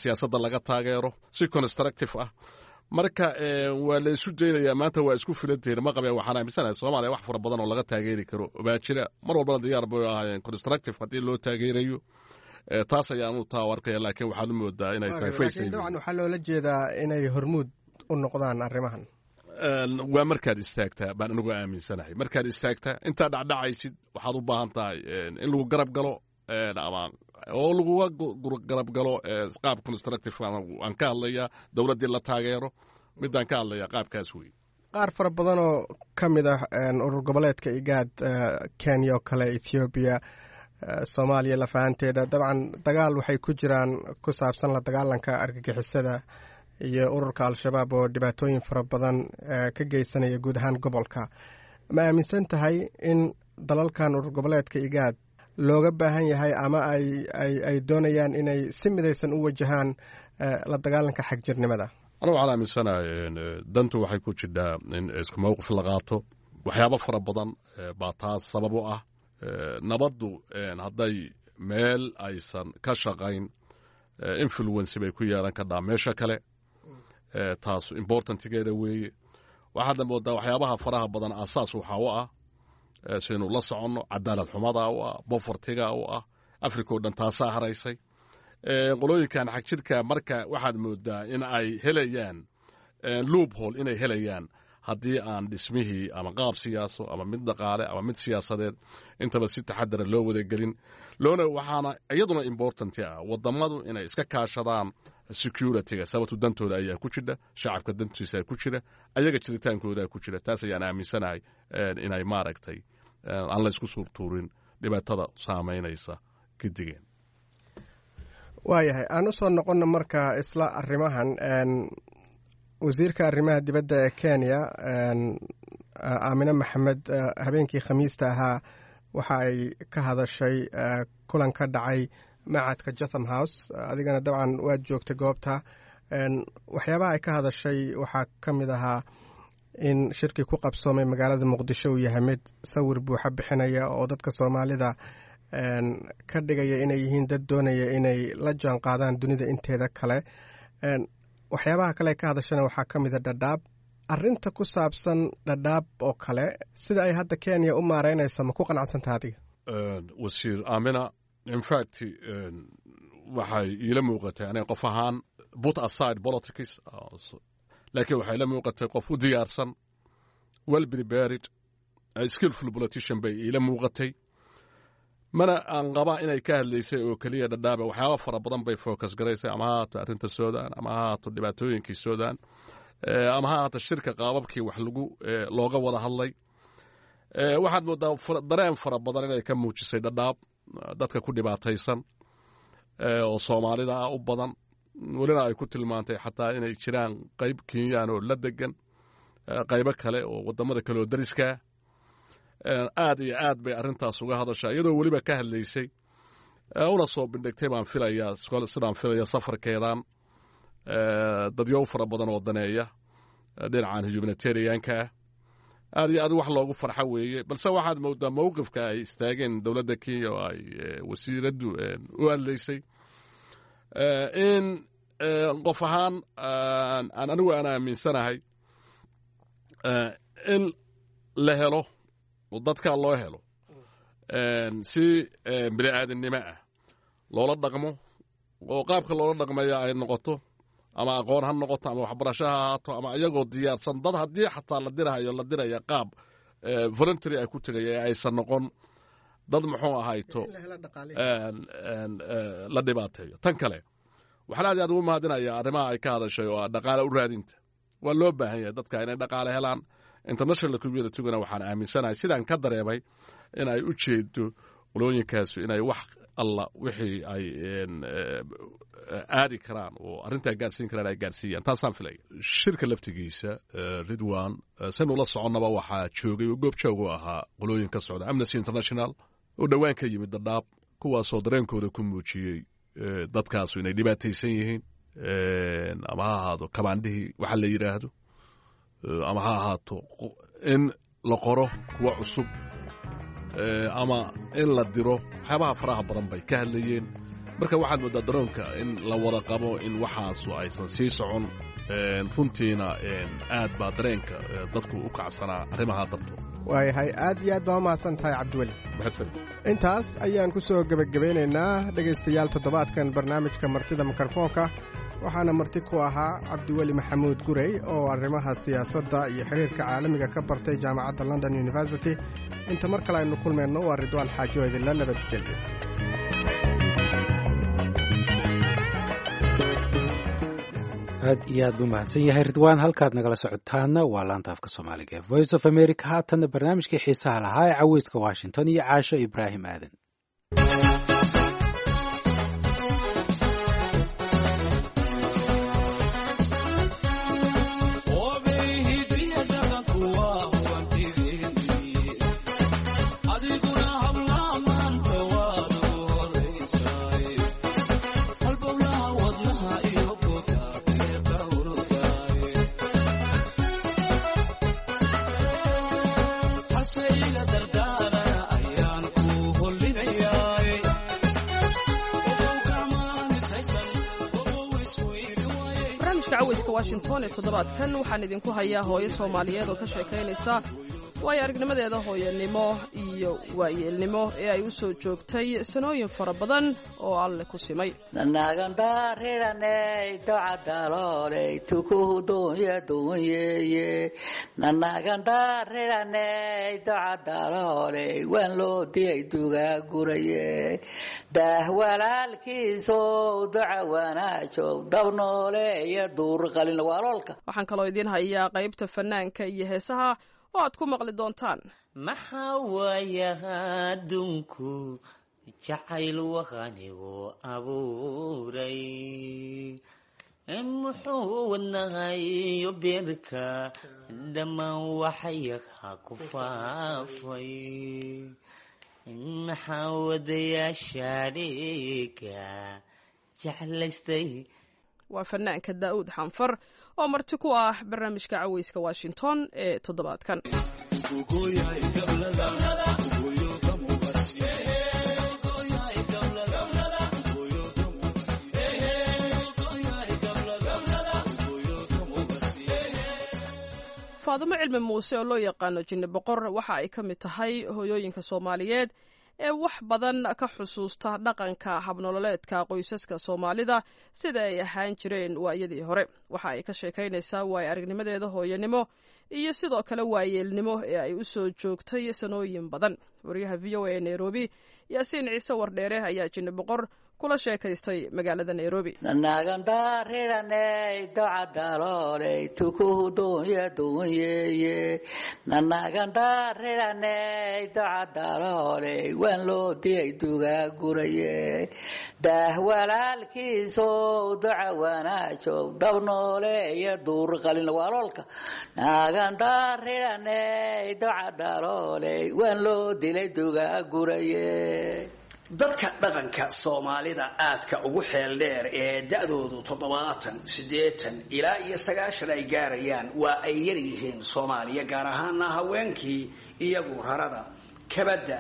siyaasadda laga taageero si constructive ah. Marka waa la isu daynayaa, maanta waa isku filantihiin ma qabeen. Waxaan aaminsanahay Soomaaliya wax fara badan oo laga taageeri karo baa jira, mar walbana diyaar bay ahaayeen constructive haddii loo taageerayo. Taas ayaanu taa arkaya, laakiin waxaad u moodaa inay tahay face saving. Dabcan waxaa loola jeedaa inay hormuud u noqdaan arrimahan. Waa markaad istaagtaa baan anigu aaminsanahay. Markaad istaagtaa intaad dhacdhacaysid waxaad u baahan tahay in lagu garab galo ama oo laguga garab galo qaab constructive. Aan ka hadlayaa dowladdii la taageero, midaan ka hadlayaa qaabkaas wey. Qaar fara badan oo ka mid ah urur goboleedka IGAD, Kenya oo kale, Ethoobiya, Soomaaliya lafahanteeda, dabcan dagaal waxay ku jiraan ku saabsan la dagaalanka argagixisada iyo ururka Al-Shabaab oo dhibaatooyin fara badan ka geysanaya guud ahaan gobolka. Ma aaminsan tahay in dalalkan urur goboleedka IGAD looga baahan yahay ama ay ay ay doonayaan inay si midaysan u wajahaan la dagaalanka xagjirnimada? Anigu waxaan aaminsanahay dantu waxay ku jidhaa in isku mowqif la qaato. Waxyaabo fara badan baa taas sabab u ah. Nabaddu hadday meel aysan ka shaqayn, influence bay ku yeelan kardhaa meesha kale. Taas importantigeeda weeye. Waxaadna moodaa waxyaabaha faraha badan asaas waxaa u ah, saynu la soconno, cadaalad xumada u ah, povertyga u ah, Africa oo dhan taasaa haraysay. Qolooyinkan xagjirka marka waxaad moodaa in ay helayaan loophole, inay helayaan haddii aan dhismihii ama qaab siyaaso ama mid dhaqaale ama mid siyaasadeed intaba si taxadara loo wadagelin loona. Waxaana iyaduna important ah wadamadu inay iska kaashadaan securityga, sababtu dantooda ayaa ku jira, shacabka dantiisa ku jira, ayaga jiritaankooda ku jira. Taas ayaan aaminsanahay inay maaragtay aan la isku suurtuurin dhibaatada saamaynaysa gidigeen. Waayahay, aan usoo noqono marka isla arrimahan. Wasiirka arrimaha dibadda ee Kenya, Aamine Maxamed, habeenkii Khamiista ahaa waxa ay ka hadashay kulan ka dhacay macadka Chatham House. Adigana dabcan waad joogtay goobta. Waxyaabaha ay ka hadashay waxaa ka mid ahaa in shirkii ku qabsoomay magaalada Muqdisho uu yahay mid sawir buuxa bixinaya oo dadka Soomaalida ka dhigaya inay yihiin dad doonaya inay la jaan qaadaan dunida inteeda kale. Waxyaabaha kale ka hadashana waxaa ka mid a Dhadhaab, arrinta ku saabsan Dhadhaab oo kale. Sida ay hadda Kenya u maareynayso ma ku qanacsantaha adiga? Wasiir Amina in fact waxay iila muuqatay aniga qof ahaan, put aside politics, laakiin waxay la muuqatay qof u diyaarsan, well prepared, skillful politician bay iila muuqatay. Mana aan qabaa inay ka hadlaysay oo keliya Dhadhaaba. Waxyaaba fara badan bay focus garaysay, ama ha ahaato arrinta Sudan, ama ha ahaato dhibaatooyinkii Sudan, ama ha ahaato shirka qaababkii wax lagu looga wada hadlay. Waxaad moodaa dareen fara badan inay ka muujisay Dhadhaab dadka ku dhibaataysan oo Soomaalida ah u badan, welina ay ku tilmaantay xataa inay jiraan qayb Kenyaan oo la degan, qaybo kale oo waddamada kale oo dariskaa. Aad iyo aad bay arrintaas uga hadashaa, iyadoo weliba ka hadlaysay una soo bindhigtay baan filayaa, sidaan filaya, safarkeedan dadyow fara badan oo daneeya dhinacan humanitarianka ah. Aad iyo aad wax loogu farxo weeye, balse waxaad moodaa mowqifka ay istaageen dowladda Kenya oo ay wasiiraddu u hadlaysay in qof ahaan aan anigu aan aaminsanahay in la helo dadka loo helo si bini aadamnimo ah loola dhaqmo, oo qaabka loola dhaqmaya ay noqoto ama aqoon ha noqoto ama waxbarasho ha ahaato ama iyagoo diyaarsan dad haddii xataa la dirahayo la diraya qaab voluntary ay ku tegaya ee aysan noqon dad muxuu ahayto la dhibaateeyo. Tan kale waxaan aad iyo aad ugu mahadinayaa arrimaha ay ka hadashay oo ah dhaqaale u raadinta. Waa loo baahan yahay dadka inay dhaqaale helaan. International communityguna waxaan aaminsanahay, sidaan ka dareemay, in ay u jeedo qolooyinkaasu inay wax alla wixii ay aadi karaan oo arrintaa gaarsiin karaan ay gaarsiiyaan. Taasaan filaya. Shirka laftigiisa, Ridwan, saynu la soconnaba, waxaa joogay oo goob joog u ahaa qolooyin ka socda Amnesty International oo dhowaan ka yimid Dhadhaab, kuwaasoo dareenkooda ku muujiyey dadkaasu inay dhibaataysan yihiin, ama ha ahaado kabaandhihii waxa la yidhaahdo, ama ha ahaato in la qoro kuwa cusub ama in la diro. Waxyaabaha faraha badan bay ka hadlayeen. Marka waxaad moodaa daroonka in la wada qabo in waxaasu aysan sii socon. Runtiina aad baa dareenka dadku u kacsanaa arrimaha dartood. Waayahay, aad iyo aad baa u mahadsan tahay, Cabdiweli. Mahadsanid. Intaas ayaan ku soo gebagabeynaynaa, dhegaystayaal, toddobaadkan barnaamijka martida mikrofoonka. Waxaana marti ku ahaa Cabdiweli Maxamuud Gurey oo arrimaha siyaasadda iyo xiriirka caalamiga ka bartay jaamacadda London University. Inta mar kale aynu kulmayno, waa Ridwaan Xaajo idinla nabadgelyo. Aad iyo aad buu mahadsan yahay Ridwaan. Halkaad nagala socotaana waa laanta afka Soomaaliga ee Voice of America. Haatanna barnaamijkii xiisaha lahaa ee Caweyska Washington iyo Caasho Ibraahim Aadan. Caweyska Caweyska Washington ee toddobaadkan waxaan idinku hayaa hooyo Soomaaliyeed oo ka sheekaynaysa waayo aragnimadeeda hooyanimo iyo waayeelnimo ee ay u soo joogtay sanooyin fara badan oo Alle ku simay. Nanagandarirane docadaloley tukuhu dunya dunyeye, nanagandarirane docadaloley waan loo dilay dugaaguraye, daah walaalkiisow doca wanaajow dabnooleeya duur qalin waaloolka. Waxaan kaloo idiin hayaa qaybta fanaanka iyo heesaha oo aad ku maqli doontaan. Maxaa waayaha adduunku jacayl waqanigu abuuray, muxuu wadnahayo beerka dhammaan waxyaha ku faafay, maxaa wadayaasha dhiiga jeclaystay. Waa fanaanka Daa'uud Xanfar oo marti ku ah barnaamijka Caweyska Washington ee toddobaadkan. Faadimo Cilmi Muuse oo loo yaqaano Jinni Boqor waxa ay ka mid tahay hooyooyinka Soomaaliyeed ee wax badan ka xusuusta dhaqanka habnololeedka qoysaska Soomaalida sida ay ahaan jireen waayadii hore. Waxa ay ka sheekaynaysaa waayo aragnimadeeda hooyanimo iyo sidoo kale waayeelnimo ee ay u soo joogtay sanooyin badan. Wariyaha V O A ee Nairobi, Yaasiin Ciise Wardheere, ayaa Jinni Boqor kula sheekaystay magaalada Nairobi. Nanagandarirane docadaloley tukuhu dunya dunyeye, nanagandarirane docadaloley waan loo dilay dugaaguraye, daah walaalkiisow doca wanaajow dabnooleeya duur qalin waaloolka, nagandarirane docadaloley waan loo dilay dugaaguraye. Dadka dhaqanka Soomaalida aadka ugu xeel dheer ee da-doodu toddobaatan, siddeetan ilaa iyo sagaashan ay gaarayaan waa ay yar yihiin Soomaaliya, gaar ahaana haweenkii iyagu rarada, kabadda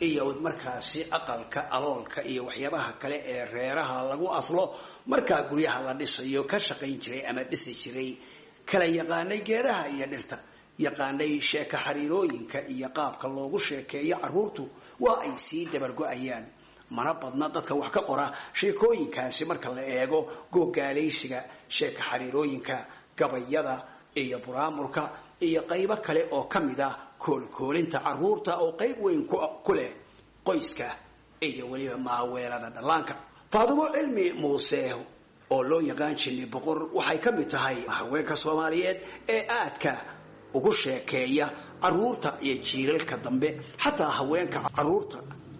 iyo markaasi aqalka aloolka iyo waxyaabaha kale ee reeraha lagu aslo markaa guryaha la dhisayo ka shaqayn jiray ama dhisi jiray, kala yaqaanay geedaha iyo dhirta, yaqaanay sheeko xariirooyinka iyo qaabka loogu sheekeeyo carruurtu waa ay sii dabargo-ayaan. Mana badna dadka wax ka qora sheekooyinkaasi marka la eego googaalaysiga, sheeko xariirooyinka, gabayada iyo buraamurka iyo qaybo kale oo ka mid ah koolkoolinta carruurta oo qayb weyn ku leh qoyska iyo weliba maaweelada dhallaanka. Faadumo Cilmi Muuse oo loo yaqaan Jinni Boqor waxay ka mid tahay haweenka Soomaaliyeed ee aadka ugu sheekeeya carruurta iyo jiilalka dambe, xataa haweenka carruurta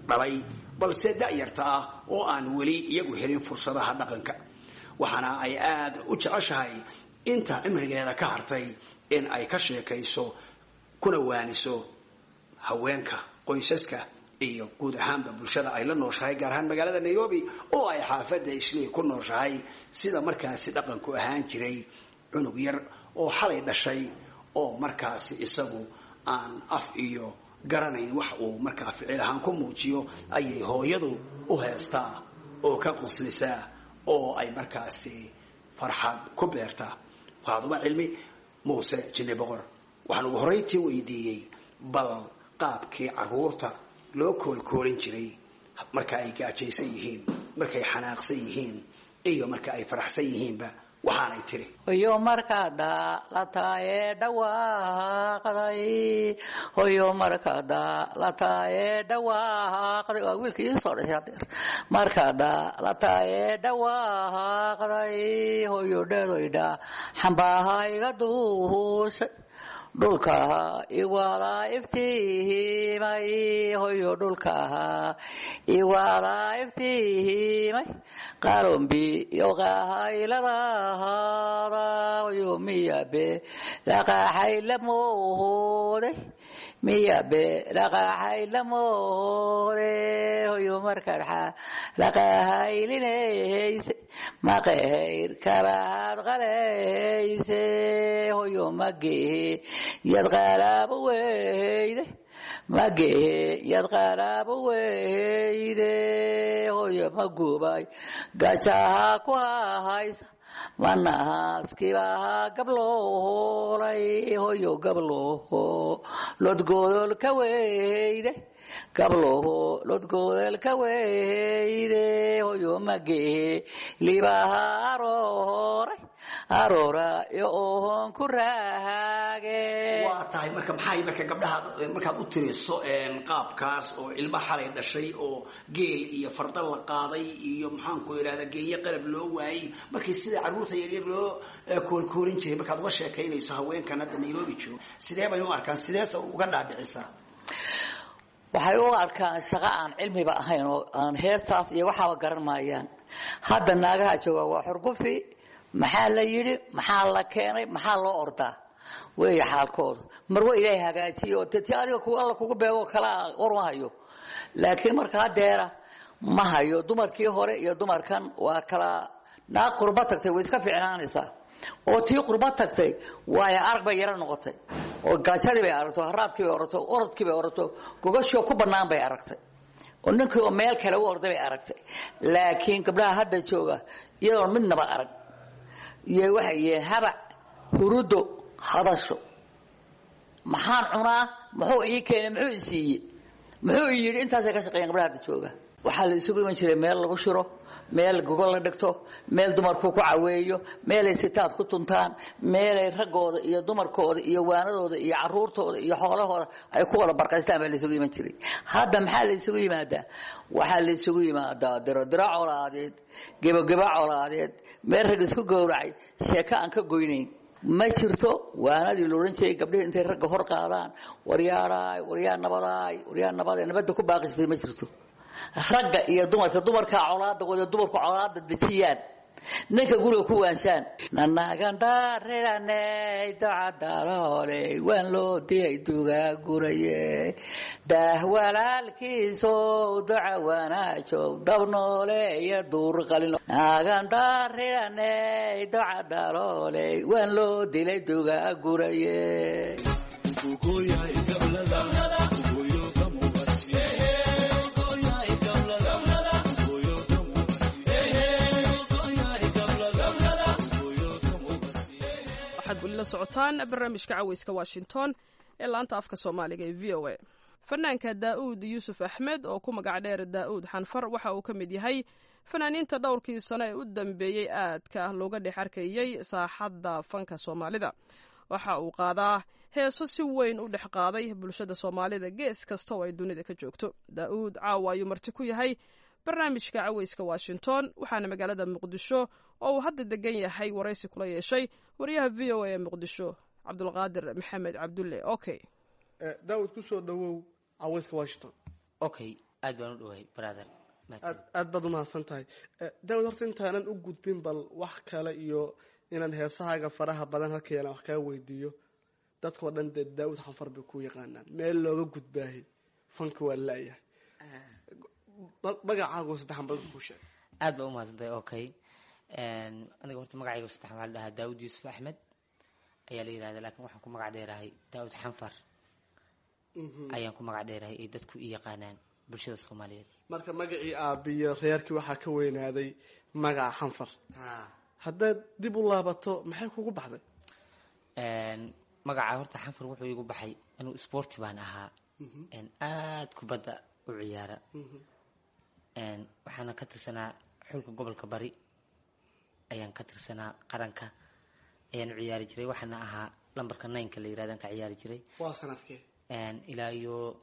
dhalay balse da-yarta ah oo aan weli iyagu helin fursadaha dhaqanka. Waxaana ay aada u jeceshahay inta cimrigeeda ka hartay in ay ka sheekayso kuna waaniso haweenka, qoysaska iyo guud ahaanba bulshada ay la nooshahay, gaar ahaan magaalada Nairobi oo ay xaafadda Islii ku nooshahay, sida markaasi dhaqanku ahaan jiray cunug yar oo xalay dhashay oo markaasi isagu aan af iyo garanayn wax uu markaa ficil ahaan ku muujiyo ayay hooyadu u heestaa oo ka qoslisaa oo ay markaasi farxad ku beertaa. Faadumo Cilmi Muuse Jinni Boqor waxaan ugu horrayntii weydiiyey bal qaabkii carruurta loo koolkoolin jiray marka ay gaajaysan yihiin, markay xanaaqsan yihiin iyo marka ay faraxsan yihiinba, waxaanay tiri: Hoyo markaa daalataaye dhawaaqday, hoyo markaa daalataaye dhawaaqday, waa wiilkii ii soo dhashay hadeer. Markaa daalataaye dhawaaqday, hoyo dheedoydha xambaaha iga duushay, dhulkaha iwaalaa iftiihimay, hoyo dhulkaha iwaalaa iftiihimay, qalombi yoqahayladahada, hoyo miyabe laqaaxay lamoode, miyabe laqaaxay lamoode, hoyo markarxa laqahaylinayse, maqehayr kalaad qalayse, hoyo magehe yad qalaabo weyde, magehe yad qalaabo weyde, hoyo magubay gajaha ku hahaysa. Manaaskibaha gabloolay hoyo gabloho lodgodolka weyde, gabloho lodgodolka weyde, hoyo magee libaha arooray aroora iyo ohon ku raage. Waa tahay. Marka maxay marka gabdhaha markaad u tiriso qaabkaas oo ilma xalay dhashay oo geel iyo farda la qaaday iyo maxaanku idhahdaa geeyo qalab loo waayey, markii sida carruurta yaryar loo koolkoolin jiray, markaad uga sheekaynayso haweenkan hadda Nairobi jooga, sidee bay u arkaan? Sideese uga dhaadhicisaa? Waxay u arkaan shaqo aan cilmiba ahayn oo aan heestaas iyo waxaaba garan maayaan. Hadda naagaha jooga waa xurgufi. Maxaa la yidhi? Maxaa la keenay? Maxaa loo ordaa weeye xaalkoodu. Marwa Ilaahay hagaajiyo oo ti adiga Alla kugu beego kalaa war ma hayo, laakiin marka hadeera ma hayo. Dumarkii hore iyo dumarkan waa kala. Naag qurba tagtay way iska fiicnaanaysaa, oo tii qurba tagtay waayo arag bay yaro noqotay, oo gaajadii bay aragto, haraadkii bay orato, orodkii bay orato, gogashoo ku bannaan bay aragtay, oo ninkii oo meel kale u orday bay aragtay. Laakiin gabdhaha hadda jooga iyadoon midnaba arag iyo waxay yihiin habac, hurudo, hadasho, maxaan cunaa, muxuu ii keenay, muxuu i siiyey, muxuu i yidhi, intaasay ka shaqeeyaan gabdhaha hadda jooga. Waxaa la isugu iman jiray meel lagu shiro, meel gogol la dhigto, meel dumarku ku caweeyo, meelay sitaad ku tuntaan, meelay raggooda iyo dumarkooda iyo waanadooda iyo caruurtooda iyo xoolahooda ay ku wada barqaystaan baa la isugu iman jiray. Hadda maxaa la isugu yimaadaa? Waxaa la isugu yimaadaa dirodiro colaadeed, gebogebo colaadeed, meel rag isku gowracay, sheeko aan ka goynayn ma jirto. Waanadii la odhan jiray gabdhihii intay ragga hor qaadaan, waryaaraay, waryaa nabadaay, waryaa nabadaay, nabadda ku baaqisatay ma jirto. Ragga iyo dumarka, dumarkaa colaada wada, dumarku colaada dejiyaan, ninka guriga ku waanshaan. Nanaagandareraney docadalooley waan loo dilay dugaa guraye, daah walaalkiisow doca wanaajow dabnoole iyo duur qalin. Naagandareraney docadalooley waan loo dilay dugaa guraye. Waxaad weli la socotaan barnaamijka Caweyska Washington ee laanta afka Soomaaliga ee V O A. Fanaanka Daa'uud Yuusuf Axmed oo ku magac dheer Daa'uud Xanfar waxa uu ka mid yahay fanaaniinta dhowrkii sano ee u dambeeyey aadka looga dhex arkayey saaxadda fanka Soomaalida. Waxa uu qaadaa heeso si weyn u dhex qaaday bulshada Soomaalida gees kasta oo ay dunida ka joogto. Daa'uud caawa ayuu marti ku yahay barnaamijka Caweyska Washington, waxaana magaalada Muqdisho oo uu hadda degan yahay waraysi kula yeeshay wariyaha V O A ee Muqdisho, Cabdulqaadir Maxamed Cabdulle. Okay. Daawud, kusoo dhawow Caweyska Washington. Okay, aad baan u dhawahay, brother. Aad aad baad umahadsan tahay, Daawud. Horta intaanan u gudbin bal wax kale iyo inaan heesahaaga faraha badan halkayana wax kaa weydiiyo, dadkao dhan dee Daawud Xanfar bay ku yaqaanaan. Meel looga gudbaahay fanka waa laayahay. Magacaagu saddexan bal dadku sheeg. Aad baa umahadsantahay. Okay, aniga horta magacayga saddex waxaa la dhahaa Daawud Yuusuf Axmed ayaa la yihahda, lakin waxaan ku magac dheerahay Daawud Xanfar ayaan ku magac dheerahay ay dadku i yaqaanaan bulshada Soomaaliyeed. Marka magacii aabiyo reerkii waxaa ka weynaaday magaca Xanfar. Haddaad dib u laabato, maxay kugu baxday? Magaca horta Xanfar wuxuu igu baxay anuu sporti baan ahaa, aad kubadda u ciyaara, waxaana ka tirsanaa xulka gobolka Bari ayaan ka tirsanaa, qaranka ayaan u ciyaari jiray, waxaana ahaa lambarka nineka la yirahdan ka ciyaari jiray. Waa sanadkee? Ilaa iyo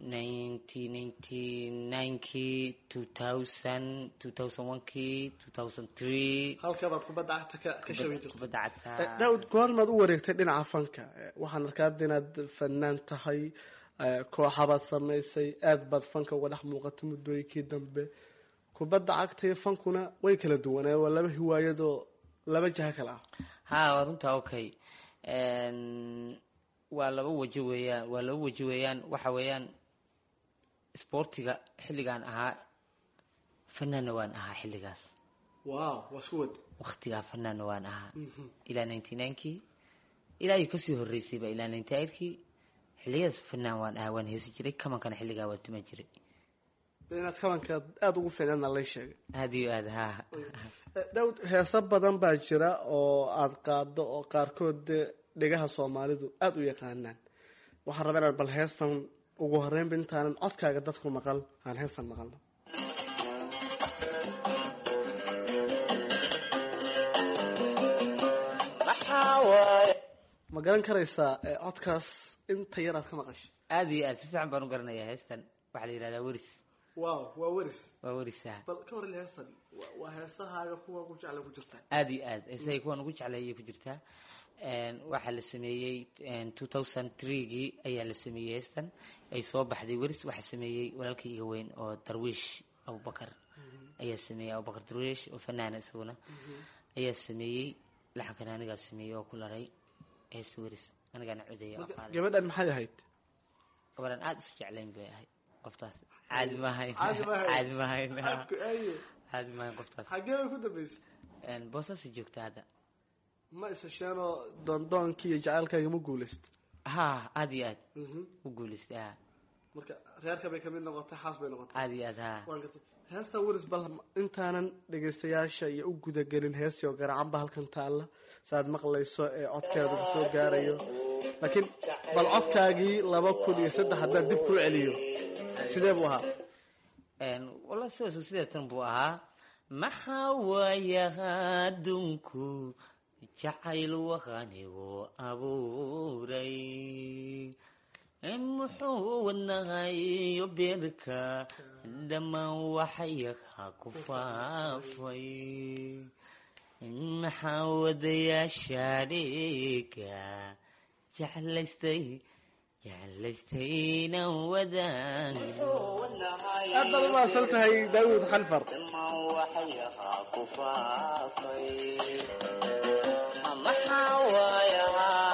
nineteen ninety ninekii, two thousand, two thousand one kii, two thousand three. Halka baad kubadda cagta ka ka shabi jirtay? Kubadda cagta. Daawud, goormaad u wareegtay dhinaca fanka? Waxaan arkaa hadda inaad fanaan tahay, kooxabaad samaysay, aad baad fanka uga dhex muuqatay muddooyinkii dambe. Kubadda cagta iyo fankuna way kala duwanaa, waa laba hiwaayadoo laba jaha kale ah. Ha, waa runta. Okay, waa laba waji weeyaan, waa laba waji weeyaan. Waxa weeyaan sportiga xilligaan ahaa fanaanna waan ahaa xilligaas. Wow, waa isku wad. Waktigaa fanaanna waan ahaa ilaa ninety ninekii, ilaa iyo kasii horreysayba, ilaa ninety eightkii. Xilligadaas fanaan waan ahaa, waan heesi jiray, kamankana xilligaa waan tuman jiray. Inaad kabanka aada ugu fiicnaadna lay sheegay. Aada iyo aada, ha. Daawud, heeso badan baa jira oo aada qaado oo qaarkood dee dhegaha soomaalidu aada u yaqaanaan. Waxaan rabaa inaan bal heestan ugu horreynba intaanan codkaaga dadku maqal aan heestan maqalno. Ma garan karaysaa codkaas inta yar aad ka maqashay? Aada iyo aad, si fiican baan u garanayaa heestan. Waxaa la yihahdaa Weris. Wow, waa Weris. Waa Weris, ha. Bal ka hor il heestan waa heesahaaga kuwa ugu jecla ku jirtaa? Aada iyo aad, heesahay kuwan ugu jeclay ayay ku jirtaa. Waxaa la sameeyey two thousand three-gii ayaa la sameeyey heestan ay soo baxday. Weris waxaa sameeyey walaalkii iga weyn oo Darwiish Abubakar ayaa sameeyey. Abubakar Darwiish oo fanaana isaguna ayaa sameeyey. Laxankan anigaa sameeyey oo ku laray heesta Weris, anigaana codaya. Gabadhan maxay ahayd? Gabadhan aada isu jeclayn bay ahayd. Qoftaas caadi maahayn, caadi maahayn, caadi maahayn qoftaas. Xagee bay ku dambeysay? Boosaasay joogta hadda. Ma isasheenoo doondoonkii iyo jacaylkaaga ma guulaysta? Ha, aada iyo aad u guulaystay, ha. Marka reerka bay kamid noqotay, xaas bay noqotay. Aada iyo aad, ha. Waan gartay. Heesta Weris, bal intaanan dhegaystayaasha iyo u gudagelin heestii oo garacan ba halkan taalla saaad maqlayso ee codkeeda soo gaarayo, laakiin bal codkaagii laba kun iyo saddex haddaan dib kuu celiyo, sidee buu ahaa? Walla sidaas sideetan buu ahaa. Maxaa waaya adduunku jacayl waqanigu abuuray, muxuu wadnahayo beerka dhammaan waxyaha ku faafay, maxaa wadayaasha dhiga jeclaystay jeclaystayna wadaagno. Aad baad u mahadsan tahay, Daawud Xanfar. Maxaa waaya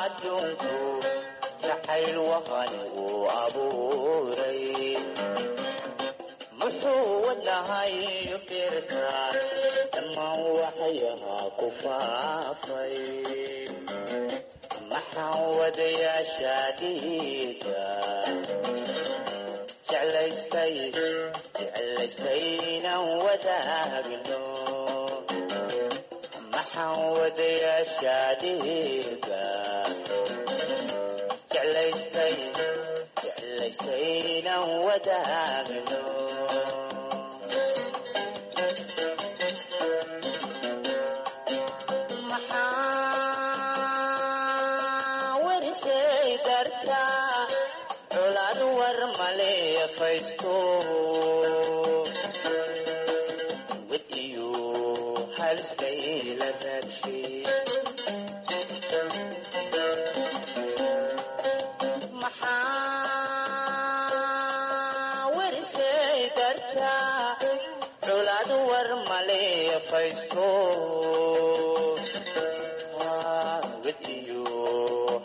adduunku jacayl waqanigu abuuray, muxuu wadnahayo beerka dhammaan waxyaha ku faafay, maxaa wadayaasha dhiiga jeclaystay jeclaystayna wadaagno, maxaa wadayaasha dhiiga jeclaystay jeclaystayna wadaagno. Maxaa werisay dartaa colaad war maleefaysto, wad iyo haliskayla raadshay? Maxaa werisay dartaa colaad war maleefaysto, wad iyo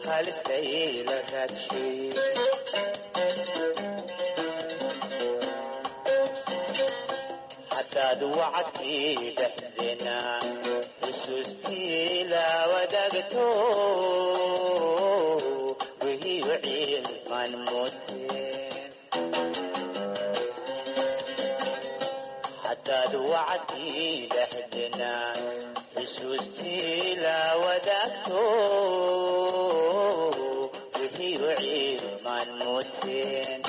haliskayla raadshay? Haddaad wacadkii dhexdeena xusuustii la wadaagto, wihiyo ciilmaan mooteen. Haddaad wacadkii dhexdeena xusuustii la wadaagto, wihiyo ciilmaan mooteen.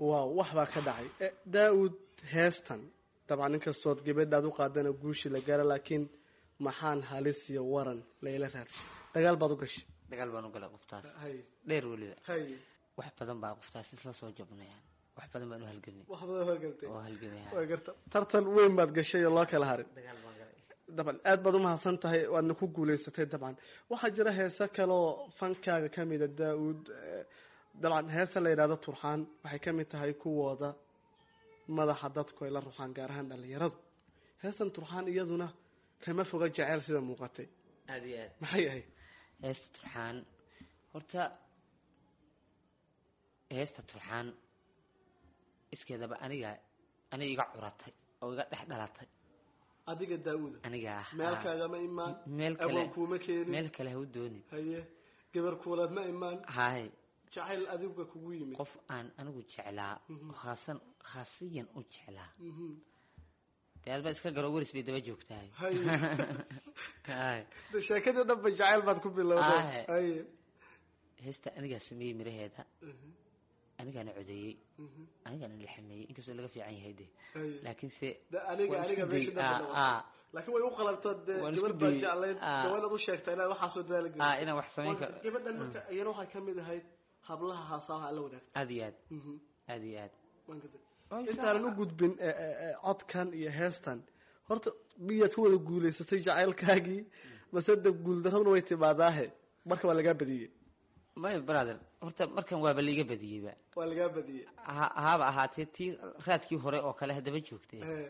Waaw, wax baa ka dhacay. Daawud, heestan Dabcan inkastood gabadhaad u qaadana guushi la gaara, laakiin maxaan halis iyo waran layla raadshay, dagaal baad u gashay. Dagaal baan u galay qoftaas Hay. dheer weliba. Hay. Wax badan baa qoftaas isla soo jabnayaan, wax badan baan u halgamay. Wax badan halgamtay. Oo halgamay. Waa garta, tartan weyn baad gashay oo loo kala harin. Dagaal baan galay. Dabcan aad baad umahadsan tahay, waadna ku guulaysatay. Dabcan waxaa jira heese kaleoo fankaaga kamida, Daa-uud. Dabcan heesa la yidhahdo Turxaan waxay kamid tahay kuwooda madaxa dadku ay la ruxaan, gaar ahaan dhalinyaradu. Heestan Turxaan iyaduna kama foga jeceyl sida muuqatay. Aada iyo aad. Maxay ahayd heesta Turxaan? Horta heesta Turxaan iskeedaba aniga aniga iga curatay oo iga dhex dhalatay. Adiga Daa-uuda? Aniga ah. Meel kaagama imaan? Meel kale. Awow kuuma keenin? Meel kale ha u doonin. Haye, gabar kuulaad ma imaan? Hay. Jacayl adiga kugu yimid. Qof aan anigu jeclaa, khaasan khaasiyan u jeclaa. Dee adba iska garo, weris bay daba joogtahay. Haye. Hay. De sheekadii dhan ba jacayl baad ku bilowday. Haye. Haye. Heesta anigaa sameeyey miraheeda, anigaana codeeyey, anigaana laxameeyey, inkastoo laga fiican yahay de. Haye. Laakiin se De aniga waan isku aniga meesha dayey. dhan Ah, ba ah. laakiin way u qalabto dee. Waan isku Gabar baad dayey. jeclayd. Ah. Dee waa inaad u sheegtaa inaad waxaasoo dadaal gelisay. Ah, inaan wax samayn karo. Gabadhan marka iyana waxay kamid ahayd hablaha haasaha la wadaagta. Aad iyo aad, aad iyo aad. Waan gartay. Intaanan u gudbin eh, eh, eh, codkan iyo heestan, horta miyaad ku wada guulaysatay jacaylkaagii, mase de guuldaraduna way timaadaahe, marka waa lagaa badiyey? May brother, horta markan waaba laiga badiyeyba. Waa lagaa badiyey. Ha haaba ahaatee tii raadkii hore oo kale haddaba joogtay. Eh,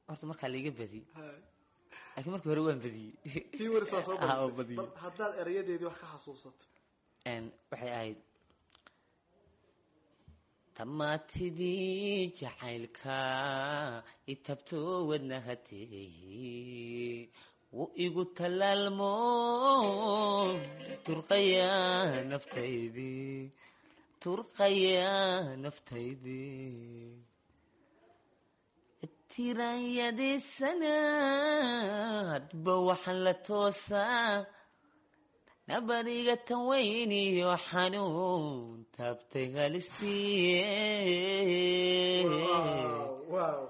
horta markaa laiga badiyey, ha. laakiin markii hore waan badiyey. Tii waris waa soo Ah, oo badisay. badiyey. Bal haddaad erayadeedii wax ka xasuusato. Een, waxay ahayd tamaatidii jacaylka itabto wadnaha tegay, wuu igu talaalmo turqaya naftaydii, turqaya naftaydii, tiranyadisana hadba waxaan la toosaa nabadiga tan weyn iyo xanuun taabtay halistii. Wow.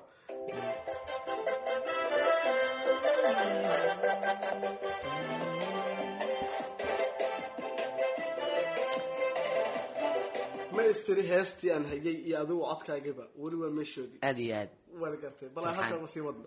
Ma istiri heestii aan hayay iyo adigu codkaagiba weli waa meeshoodii. Aada iyo aad. Waan gartay, bal aan Turxaan. halkaa usii wadno.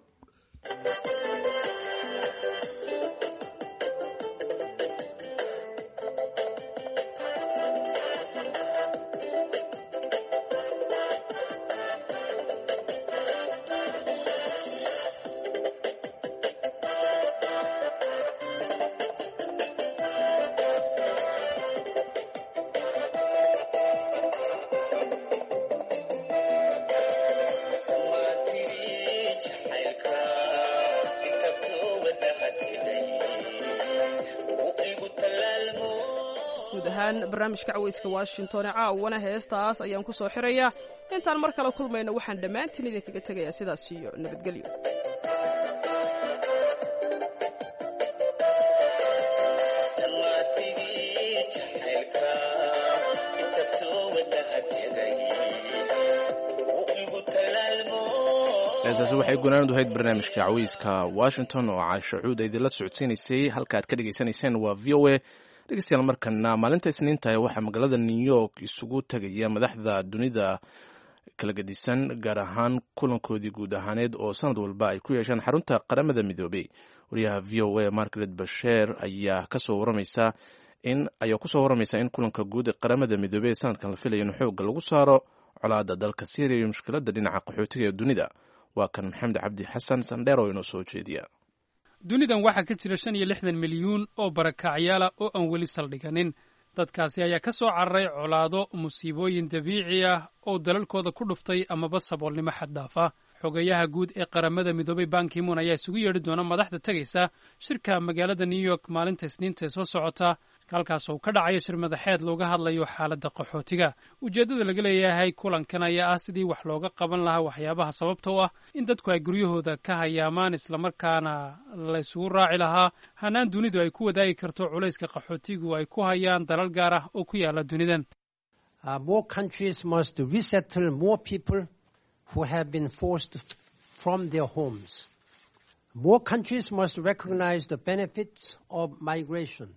Guud ahaan barnaamijka Caweyska Washington ee caawana heestaas ayaan ku soo xirayaa. Intaan mar kale kulmayno, waxaan dhammaantiin idinkaga tegayaa sidaas iyo nabadgelyo. Heestaasi waxay gunaanad ahayd barnaamijka Caweyska Washington oo Caasho Cuud ay idinla socodsiinaysay. Halka aad ka dhegaysanayseen waa V O A. Dhegeystayaal, markana maalinta Isniinta waxaa magaalada New York isugu tegaya madaxda dunida kala gedisan, gaar ahaan kulankoodii guud ahaaneed oo sanad walba ay ku yeeshaan xarunta Qaramada Midoobey. Wariyaha V O A Margaret Basheer ayaa kasoo waramaysa in ayaa kusoo waramaysa in kulanka guud ee Qaramada Midoobey ee sanadkan la filaya in xoogga lagu saaro colaadda dalka Syriya iyo mushkiladda dhinaca qaxootiga ee dunida. Waa kan Maxamed Cabdi Xasan Sandheer oo inoo soo jeediya. Dunidan waxaa ka jira shan iyo lixdan milyuun oo barakacyaala oo aan weli saldhiganin. Dadkaasi ayaa ka soo cararay colaado, musiibooyin dabiici ah oo dalalkooda ku dhuftay amaba saboolnimo xad dhaaf ah. Xogayaha guud ee Qaramada Midoobay Ban Ki-moon ayaa isugu yeedhi doona madaxda tegaysa shirka magaalada New York maalinta Isniinta ee soo socota, halkaas oo ka dhacayo shir madaxeed looga hadlayo xaaladda qaxootiga. Ujeeddada laga leeyahay kulankan ayaa ah sidii wax looga qaban lahaa waxyaabaha sababta u ah in dadku ay guryahooda ka hayaamaan, islamarkaana la isugu raaci lahaa hanaan dunidu ay ku wadaagi karto culayska qaxootigu ay ku hayaan dalal gaar ah oo ku yaala dunidan. Uh, more countries must resettle more people who have been forced to from their homes. More countries must recognize the benefits of migration.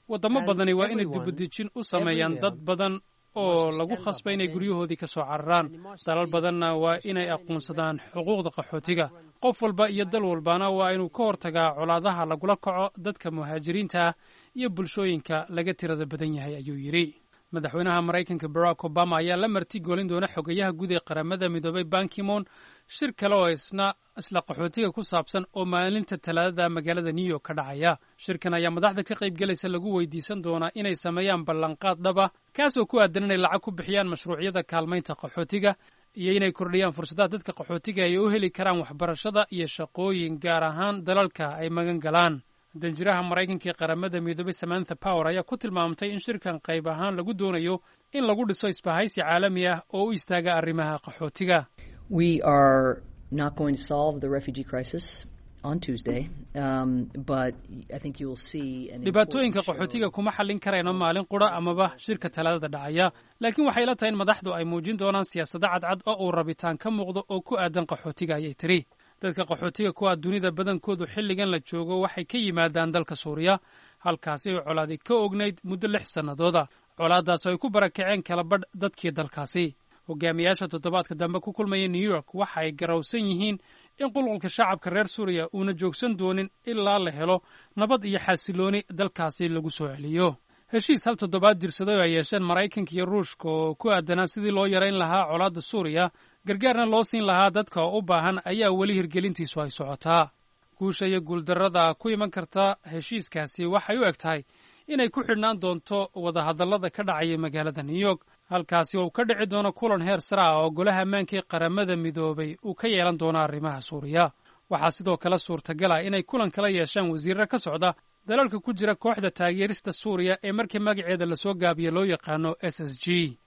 Waddamo badani waa inay dibudejin u sameeyaan dad badan oo lagu khasbay inay guryahoodii ka soo cararaan. Dalal badanna waa inay aqoonsadaan xuquuqda qaxootiga. Qof walba iyo dal walbana waa inuu ka hortagaa colaadaha lagula kaco dadka muhaajiriinta ah iyo bulshooyinka laga tirada badan yahay, ayuu yidhi. Madaxweynaha Maraykanka Barack Obama ayaa la marti golin doona xogayaha guud ee Qaramada Midoobay Bankimon shir kale oo isna isla qaxootiga ku saabsan oo maalinta Talaadada magaalada New York ka dhacaya. Shirkan ayaa madaxda ka qaybgelaysa lagu weydiisan doonaa inay sameeyaan ballanqaad dhab ah, kaasoo ku aadan inay lacag ku bixiyaan mashruucyada kaalmaynta qaxootiga iyo inay kordhiyaan fursadaha dadka qaxootiga ay u heli karaan waxbarashada iyo shaqooyin, gaar ahaan dalalka ay magan galaan. Danjiraha Maraykanka ee Qaramada Midoobay Samantha Power ayaa ku tilmaamtay in shirkan qayb ahaan lagu doonayo in lagu dhiso isbahaysi caalami ah oo u istaaga arrimaha qaxootiga. We are not going to solve the refugee crisis on Tuesday, um, but I think you will see an Dhibaatooyinka qaxootiga kuma xallin karayno maalin qura amaba shirka Talaadada dhacaya, laakiin waxay la tahay in madaxdu ay muujin doonaan siyaasado cadcad oo uu rabitaan ka muuqdo oo ku aadan qaxootiga, ayay tiri. Dadka qaxootiga kuwa dunida badankoodu xilligan la joogo waxay ka yimaadaan dalka Suuriya, halkaasi ay colaadi ka ognayd muddo lix sannadooda, colaaddaas ay ku barakaceen kala badh dadkii dalkaasi. Hogaamiyaasha toddobaadka dambe ku kulmaya New York waxa ay garowsan yihiin in qulqulka shacabka reer Suuriya uuna joogsan doonin ilaa la helo nabad iyo xasilooni dalkaasi lagu soo celiyo. Heshiis hal toddobaad jirsaday oo ay yeesheen Maraykanka iyo Ruushka oo ku aadanaa sidii loo yarayn lahaa colaadda Suuriya, gargaarna loo siin lahaa dadka oo u baahan, ayaa weli hirgelintiisu ay socotaa. Guusha iyo guuldarrada ku iman karta heshiiskaasi waxay u eg tahay inay ku xidhnaan doonto wadahadallada ka dhacaya magaalada New York, halkaasi oo uu ka dhici doono kulan heer sare ah oo Golaha Ammaanka ee Qaramada Midoobay uu ka yeelan doono arrimaha Suuriya. Waxaa sidoo kale suurtagal ah inay kulan kala yeeshaan wasiirro ka socda dalalka ku jira kooxda taageerista Suuriya ee markii magaceeda lasoo gaabiyo loo yaqaano S S G.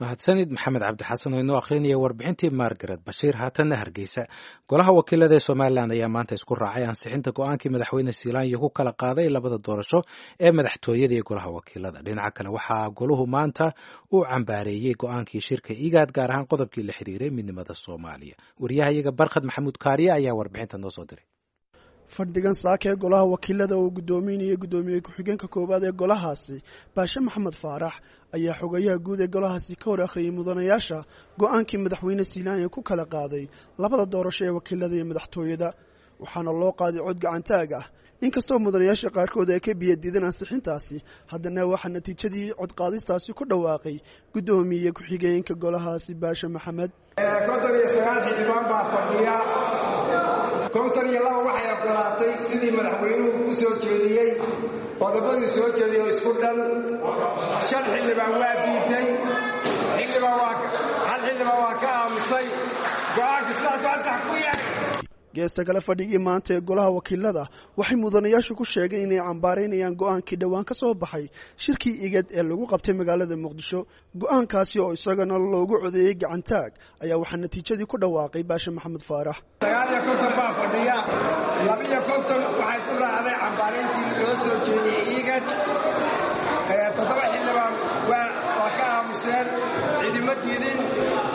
Mahadsanid Maxamed Cabdi Xasan oo inoo akhrinaya warbixintii Margaret Bashiir. Haatanna Hargeysa. Golaha wakiilada ee Somalilan ayaa maanta isku raacay ansixinta go-aankii Madaxweyne Siilaanyo ku kala qaaday labada doorasho ee madaxtooyada iyo golaha wakiilada. Dhinaca kale, waxaa goluhu maanta uu cambaareeyey go-aankii shirka IGAD, gaar ahaan qodobkii la xiriiray midnimada Soomaaliya. Wariyahayaga Barkhad Maxamuud Kaariye ayaa warbixinta noo soo diray. Fadhigan saaka ee golaha wakiilada uu guddoominayay guddoomiye ku-xigeenka koowaad ee golahaasi Baashe Maxamed Faarax ayaa xogayaha guud ee golahaasi ka hor akhriyey mudanayaasha go-aankii Madaxweyne Siilaanya ku kala qaaday labada doorasho ee wakiilada iyo madaxtooyada, waxaana loo qaaday cod gacantaag ah. Inkastoo mudanayaasha qaarkood ay ka biyadiideen ansixintaasi, haddana waxaa natiijadii codqaadistaasi ku dhawaaqay guddoomiye ku-xigeenka golahaasi Baashe Maxamed. Konton iyo sagaal xildhibaan baa fadhiya. Konton iyo laba waxay ogolaatay sidii madaxweynuhu ku soo jeediyey, qodobadii soo jeediyey oo isku dhan. Shan xildhibaan waa diiday, xildhibaan waa hal xildhibaan waa ka aamusay. Go-aanka sidaas ansax ku yahay. Geesta kale, fadhigii maanta ee golaha wakiilada waxay mudanayaashu ku sheegeen inay cambaaraynayaan go-aankii dhowaan ka soo baxay shirkii IGAD ee lagu qabtay magaalada Muqdisho. Go-aankaasi oo isagana loogu codeeyey gacantaag ayaa waxaa natiijadii ku dhawaaqay Baashe Maxamed Faarax. Sagaal iyo konton baa fadhiya. Labiyo konton waxay ku raacday cambaarayntii loo soo jeediyey IGAD. Toddoba xildhibaan waa waa ka aamuseen. Cidima diidin,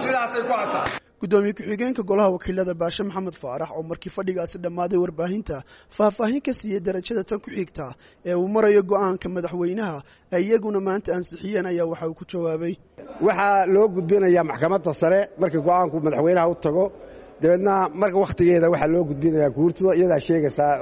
sidaasay ku asaa. Guddoomiye ku-xigeenka golaha wakiilada Baashe Maxamed Faarax oo markii fadhigaasi dhammaaday warbaahinta faahfaahin ka siiyey darajada tan ku xigta ee uu marayo go-aanka madaxweynaha ay iyaguna maanta ansixiyeen ayaa waxa uu ku jawaabay: Waxaa loo gudbinayaa maxkamadda sare markii go-aanku madaxweynaha u tago. Dabeedna marka wakhtigeeda waxaa loo gudbinayaa guurtida, iyadaa sheegaysaa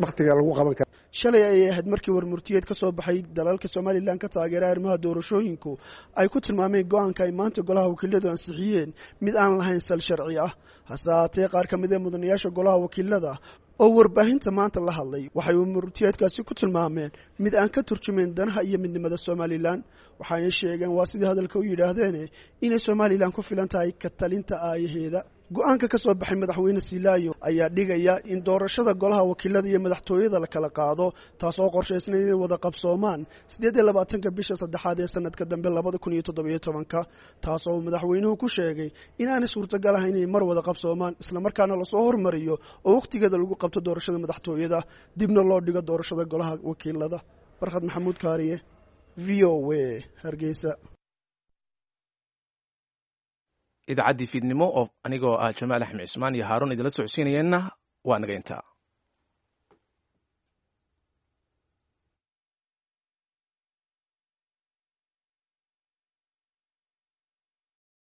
wakhtiga lagu qaban karo. Shalay ayay ahayd markii warmurtiyeed ka soo baxay dalalka Somalilan ka taageera arrimaha doorashooyinku ay ku tilmaameen go-aanka ay maanta golaha wakiiladu ansixiyeen mid aan lahayn sal sharci ah. Hase haatee, qaar ka mid ee mudanayaasha golaha wakiilada oo warbaahinta maanta la hadlay waxay warmurtiyeedkaasi ku tilmaameen mid aan ka turjumayn danaha iyo midnimada Somalilan, waxaana sheegeen, waa sidii hadalka u yidhaahdeen, inay Somalilan ku filan tahay ka talinta aayaheeda. Go-aanka ka soo baxay Madaxweyne Silaayo ayaa dhigaya in doorashada golaha wakiilada iyo madaxtooyada la kala qaado, taasoo qorshaysna inay wada qabsoomaan siddeed iyo labaatanka bisha saddexaad ee sanadka dambe labada kun iyo toddobiyo tobanka, taasoo uu madaxweynuhu ku sheegay in aanay suurtagal ahayn inay mar wada qabsoomaan, islamarkaana lasoo hormariyo oo wakhtigeeda lagu qabto doorashada madaxtooyada, dibna loo dhigo doorashada golaha wakiilada. Barkhad Maxamuud Kaariye, V O A, Hargeysa. Idaacaddii fiidnimo oo anigoo ah Jamaal Axmed Cismaan iyo Haaruun idinla socodsiinayeenna waa naga intaa.